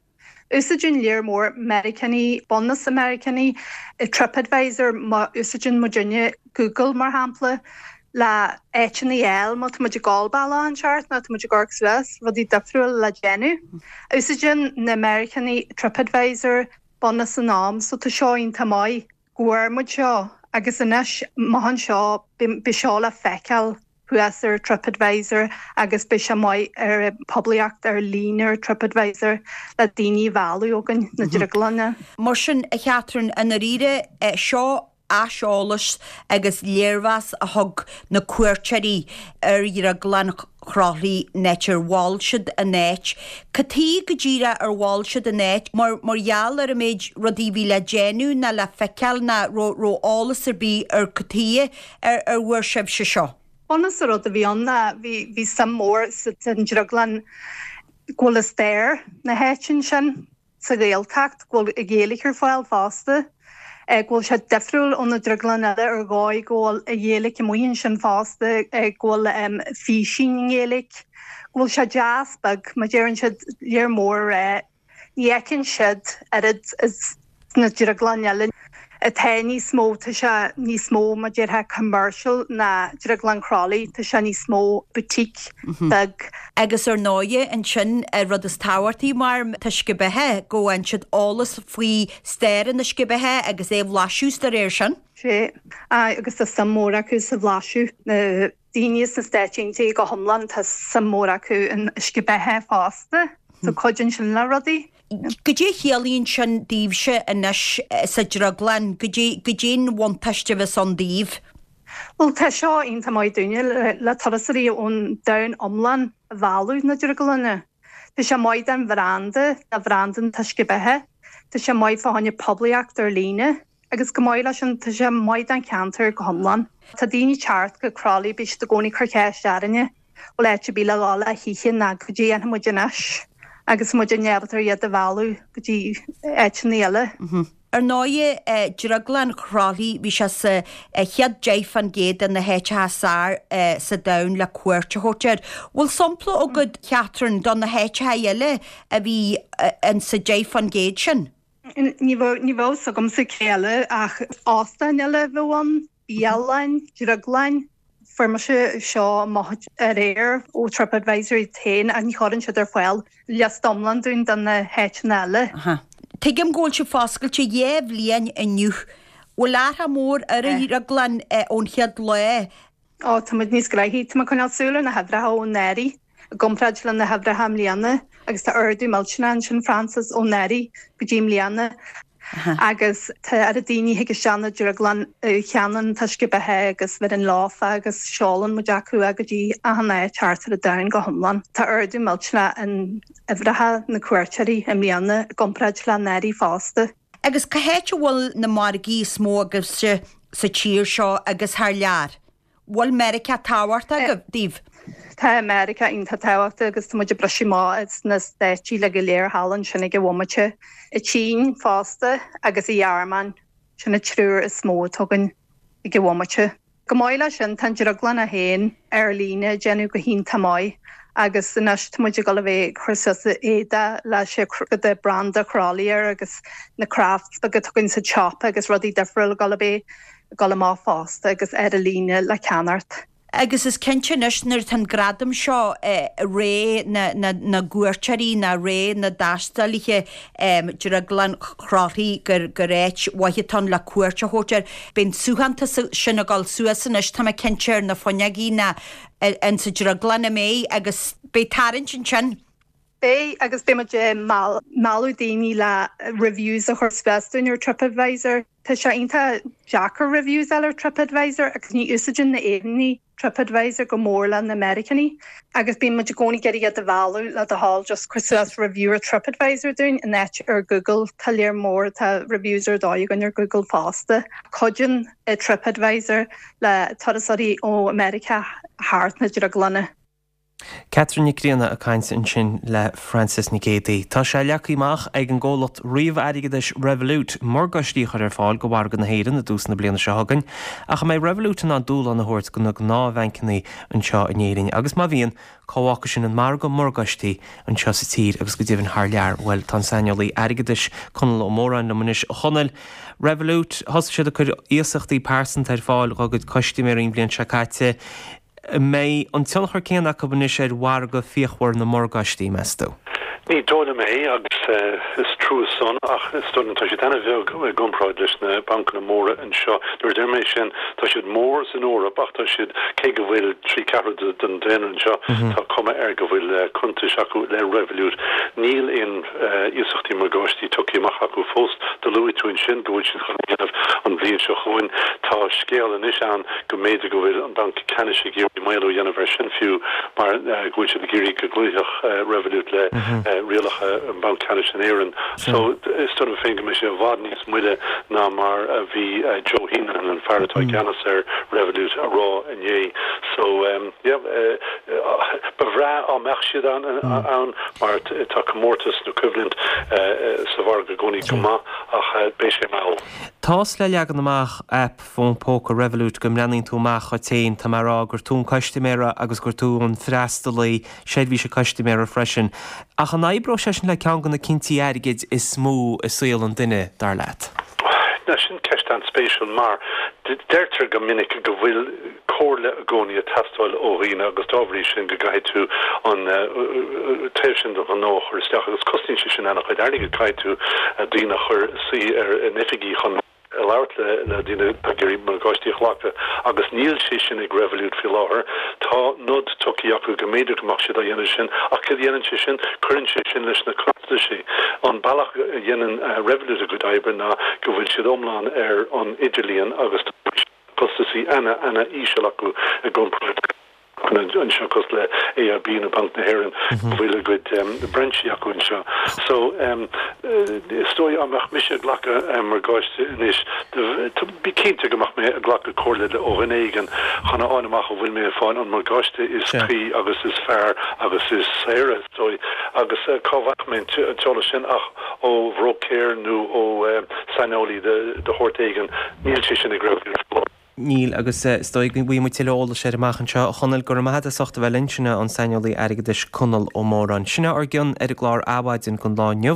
[SPEAKER 16] Úsáideann léar mór Meiriceánaigh, bunús Meiriceánaigh, TripAdvisor má úsáideann muidinne Google mar shampla le áiteanna a fháil má tá muid ag gabháil bealach inteacht nó tá muid ag amharc suas rudaí difriúil le déanamh. Úsáideann na Meiriceánaigh TripAdvisor bunús an am so tá seo iontach maith. go bhfuair muid seo agus anois amach anseo beidh seo le feiceáil thuas ar TripAdvisor agus beidh sé maith ar poiblíocht ar líne ar TripAdvisor le daoine a mhealladh chugainn na drioglainne.
[SPEAKER 17] Mar sin, a Chatherine, i ndáiríre, seo aiseolas agus léirmheas a thug na cuairteoirí ar Dhrioglann Chroithlí an áit ar mhol siad an áit. Cad chuige go díreach ar mhol siad an áit? Mar mar gheall ar an méid rudaí a bhí le déanamh ná le feiceáil ná raibh raibh eolas ar bith ar cad chuige ar ar bhfuair sibhse seo?
[SPEAKER 16] Bunús an rud a bhí ann ná bhí bhí suim mór sa drioglann go bhfuil stair na háite ansin. sa Ghaeltacht, go bhfuil Gaeilge ar fáil fosta. Go bhfuil sé difriúil ó na drioglanna eile ar dhóigh go bhfuil an Ghaeilge amuigh ansin fosta, go bhfuil físeáin i nGaeilge, go bhfuil sé deas beag, mar deireann siad lear mór a rá. Ní fheiceann siad oiread is na drioglainn eile atá níos mó, tá sé níos mó mar déarfá commercial ná Drioglann Chroithlí, tá sé níos mó boutique beag.
[SPEAKER 17] Agus ar ndóighe ansin an rud is tábhachtaí mar an t-uisce beatha, go bhfaigheann siad eolas faoi stair an uisce beatha agus é a bhlaiseadh is dá réir sin.
[SPEAKER 16] Sea, agus tá suim mhór acu sa bhlaiseadh. Na daoine sna Stáit Aontaithe go hiomlán, tá suim mhór acu in uisce beatha fosta, so cuidíonn sin le rudaí.
[SPEAKER 17] Goidé a chiallaíonn sin daoibhse anois sa drioglann? Goidé, goidé an bhuntáiste a bheas ann daoibh?
[SPEAKER 16] Bhuel, tá seo iontach maith dúinne le turasóirí ón domhan iomlán a mhealladh na drioglainne. Tá sé maith don bhranda, do bhranda an t-uisce beatha. Tá sé maith fá choinne poiblíocht ar líne. Agus chomh maith leis sin, tá sé maith don cheantar go hiomlán. Tá daoine ag teacht go Crolly, bíonn siad i gcónaí ag cur ceist orainne, bhfuil áit ar bith le dhul le hoíche ná goidé a dhéanfaidh muid anois agus muid ábalta iad a mhealladh go dtí áiteanna eile.
[SPEAKER 17] Ar ndóighe, Drioglann Chroithlí, bhí sé sa chéad 10% de na háiteacha is fearr sa domhan le cuairt a thabhairt air. Bhfuil sampla agat, Catherine, do na háiteacha eile a bhí insa 10% sin?
[SPEAKER 16] Ní bheadh a fhios agamsa cé eile ach óstáin eile a bheadh ann, bialann, drioglann. Fuair mise seo amach aréir ó TripAdvisor iad féin ach ní chuireann siad ar fáil liosta iomlán dúinn de na háiteanna eile.
[SPEAKER 17] Tuigim go bhfuil sibh foscailte dhá bhliain inniu. Bhfuil athrach mór ar an drioglann ón chéad lá?
[SPEAKER 16] Ó, tá muid níos gnoithí. Tá mé ag coinneáil súil ar na huimhreacha ó anuraidh i gcomparáid le na huimhreacha i mbliana agus tá ardú millteanach ansin, Frances, ó anuraidh go dtí i mbliana agus tá oiread daoine a thig isteach na drioglann a cheannaíonn an t-uisce beatha agus bheireann leofa agus seolann muid acu é go dtí achan áit thart ar an domhan go hiomlán. Tá ardú millteanach in uimhreacha na cuairteoirí i mbliana i gcomparáid le anuraidh fosta.
[SPEAKER 17] Agus cá háit a bhfuil na margaí is mó agaibhse sa tír seo agus thar lear? Bhfuil Meiriceá tábhachtach daoibh?
[SPEAKER 16] Tá Meiriceá iontach tábhachtach agus tá muid ag briseadh amach sna Stáit uilig go léir thall ansin ag an bhomaite. An tSín fosta agus an Ghearmáin, sin an triúr is mó atá againn ag an bhomaite. Chomh maith leis sin, tá an drioglann é féin ar líne ag déanamh go hiontach maith agus anois tá muid ag dul a bheith ag cur suas éadaí leis an branda Chroithlí air agus na crafts beaga atá againn sa tsiopa agus rudaí difriúla ag dul a bheith ag dul amach fosta agus ar líne le ceannacht.
[SPEAKER 17] Agus is cinnte anois nuair atá an gradam seo, ré na gcuairteoirí ná ré na dtaistealaithe, Drioglann Chroithlí gur gur áit mhaith atá ann le cuairt a thabhairt air. Beidh an suaitheantas sin ag dul suas anois, tá mé cinnte, ar na fuinneogaí ná insa drioglann, an mbeidh? Agus beidh tarraingt ansin.
[SPEAKER 16] Beidh, agus beidh muid ag mealladh daoine le reviews a chur suas dúinn ar TripAdvisor. Tá sé iontach deacair reviews a fháil ar TripAdvisor agus ní úsáideann na Éireannaigh TripAdvisor go mór le na Meiriceánaigh agus bíonn muid i gcónaí ag iarraidh iad a mhealladh le do thoil just cuir suas review ar TripAdvisor dúinn in áit ar Google. Tá lear mór, tá reviews ar dóigh againn ar Google fosta. Cuidíonn TripAdvisor le turasóirí ó Meiriceá thart na drioglanna.
[SPEAKER 1] Catherine Nic Grianna ag caint ansin le Frances Nic Géadaigh. Tá sé leagtha amach ag an gcomhlacht ríomh-airgeadais Revolut morgáistí a chur ar fáil do mhargadh na hÉireann i dtús na bliana seo chugainn. Ach an mbeidh Revolut in ann dúshlán a thabhairt do na gnáthbhancanna anseo in Éirinn? Agus má bhíonn, cá bhfágfaidh sin an margadh morgáistí anseo sa tír agus go deimhin thar lear? Bhuel, tá an saineolaí airgeadais Conall Ó Móráin liom anois. A Chonaill, Revolut, thosaigh siad ag cur iasachtaí pearsanta ar fáil dá gcuid custaiméirí an bhliain seo caite. An mbeidh an tionchar céanna acu anois ar mhargadh fíochmhar na morgáistí, meas tú?
[SPEAKER 18] Ní dóigh liom é, agus is trua san, ach is dóigh liom tá siad ana-bheag i gcomparáid leis na bancanna móra anseo. Nuair a deir mé sin, tá siad mór san Eoraip ach tá siad, cé go bhfuil 3 ceathrú den daonra anseo, tá cuma air go bhfuil cuntais acu le Revolut. Níl aon iasachtaí morgáistí tugtha amach acu fós. Do luaigh tú ansin go bhfuil siad chun a dhéanamh an bhliain seo chugainn. Tá scéal anois ann go mb'fhéidir go bhfuil an Banc Ceannais ag iarraidh maolú a dhéanamh air sin fiú mar go bhfuil siad ag iarraidh go gcloífeadh Revolut le rialacha an Bhanc Ceannais in Éirinn. So is dóigh liom féin go mbeidh sé i bhfad níos moille ná mar a bhí Joe Heneghan, an fear atá i gceannas ar Revolut, a rá inné. So yeah, ba bhreá á mbeadh siad ann mar tá comórtas nó coimhlint sa mhargadh i gcónaí go maith ach beidh sé mall.
[SPEAKER 1] Tá's le leagan amach aip fón póca Revolut go mbreathnaíonn tú amach dhuit féin, tá mé a rá gur tú an custaiméara agus gur tú an freastalaí seirbhíse custaiméara freisin. Ach an oibreoidh sé sin le ceann de na cinntí airgid is mó i saol an duine, dar leat?
[SPEAKER 18] Now sin ceist an-spéisiúil mar deirtear go minic go bhfuil comhairle i gcónaí ag teastáil ó dhaoine agus dá bhrí sin go gcaithfidh tú an taobh sin den ghnó a chur isteach agus cosnaíonn sé sin an-chuid airgid, caithfidh tú daoine a chur suí ar in oifigí chun. labhairt le daoine atá ag iarraidh morgáistí a ghlacadh agus níl sé sin ag Revolut faoi láthair. Tá nod tugtha acu go mb'fhéidir go mbeadh siad á dhéanamh sin ach céard a dhéanann sé sin? Cuireann sé sin leis na costaisí. An bealach a dhéanann Revolut a gcuid oibre ná go bhfuil siad iomlán ar an idirlíon agus tá costaisí ana ana íseal acu i gcomparáid le anseo cosúil le AIB nó Banc na hÉireann go bhfuil a gcuid brainsí acu anseo. So is dóigh dá mbeadh mise ag glacadh morgáiste anois bí cinnte go mbeadh mé ag glacadh comhairle ó dhuine éigin chun a fháil amach an bhfuil mé ag fáil an morgáiste is cuí agus is fearr agus is saoire is dóigh agus cá bhfaigheadh mé an t-eolas sin ach ó bhróicéir nó ó saineolaí de shórt éigin. Níl sé sin ag Revolut.
[SPEAKER 1] Níl, agus is dóigh go bhfaighidh muid tuilleadh eolais air amach anseo. A Chonaill, go raibh maith agat as ucht a bheith linn. Sin é an saineolaí airgeadais Conall Ó Móráin. Sin é ár gcion ar an gclár Adhmhaidin don lá inniu.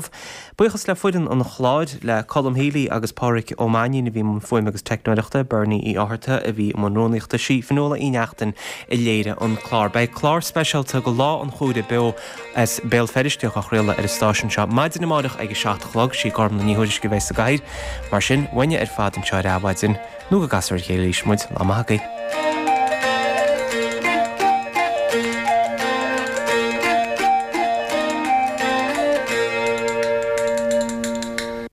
[SPEAKER 1] Buíochas le foireann an chláir, le Colm Healy agus Pádhraic Ó Mainnín a bhí i mbun fuaime agus teicneoireachta, Bernie Uí Fhátharta a bhí i mbun rúnaíochta, sí Fionnuala Uí Neachtain a léirigh an clár. Beidh clár speisialta do Lá an Chomhrá beo as Béal Feirste á chraoladh ar an stáisiún seo maidin amárach ag a 7 a chlog. Sí Gormlaith Ní Thuairisg a bheidh sa gcathaoir. Mar sin, uainne ar fad anseo ar Adhmhaidin, nó go gcasfar ar a chéile arís muid, lá maith agaibh.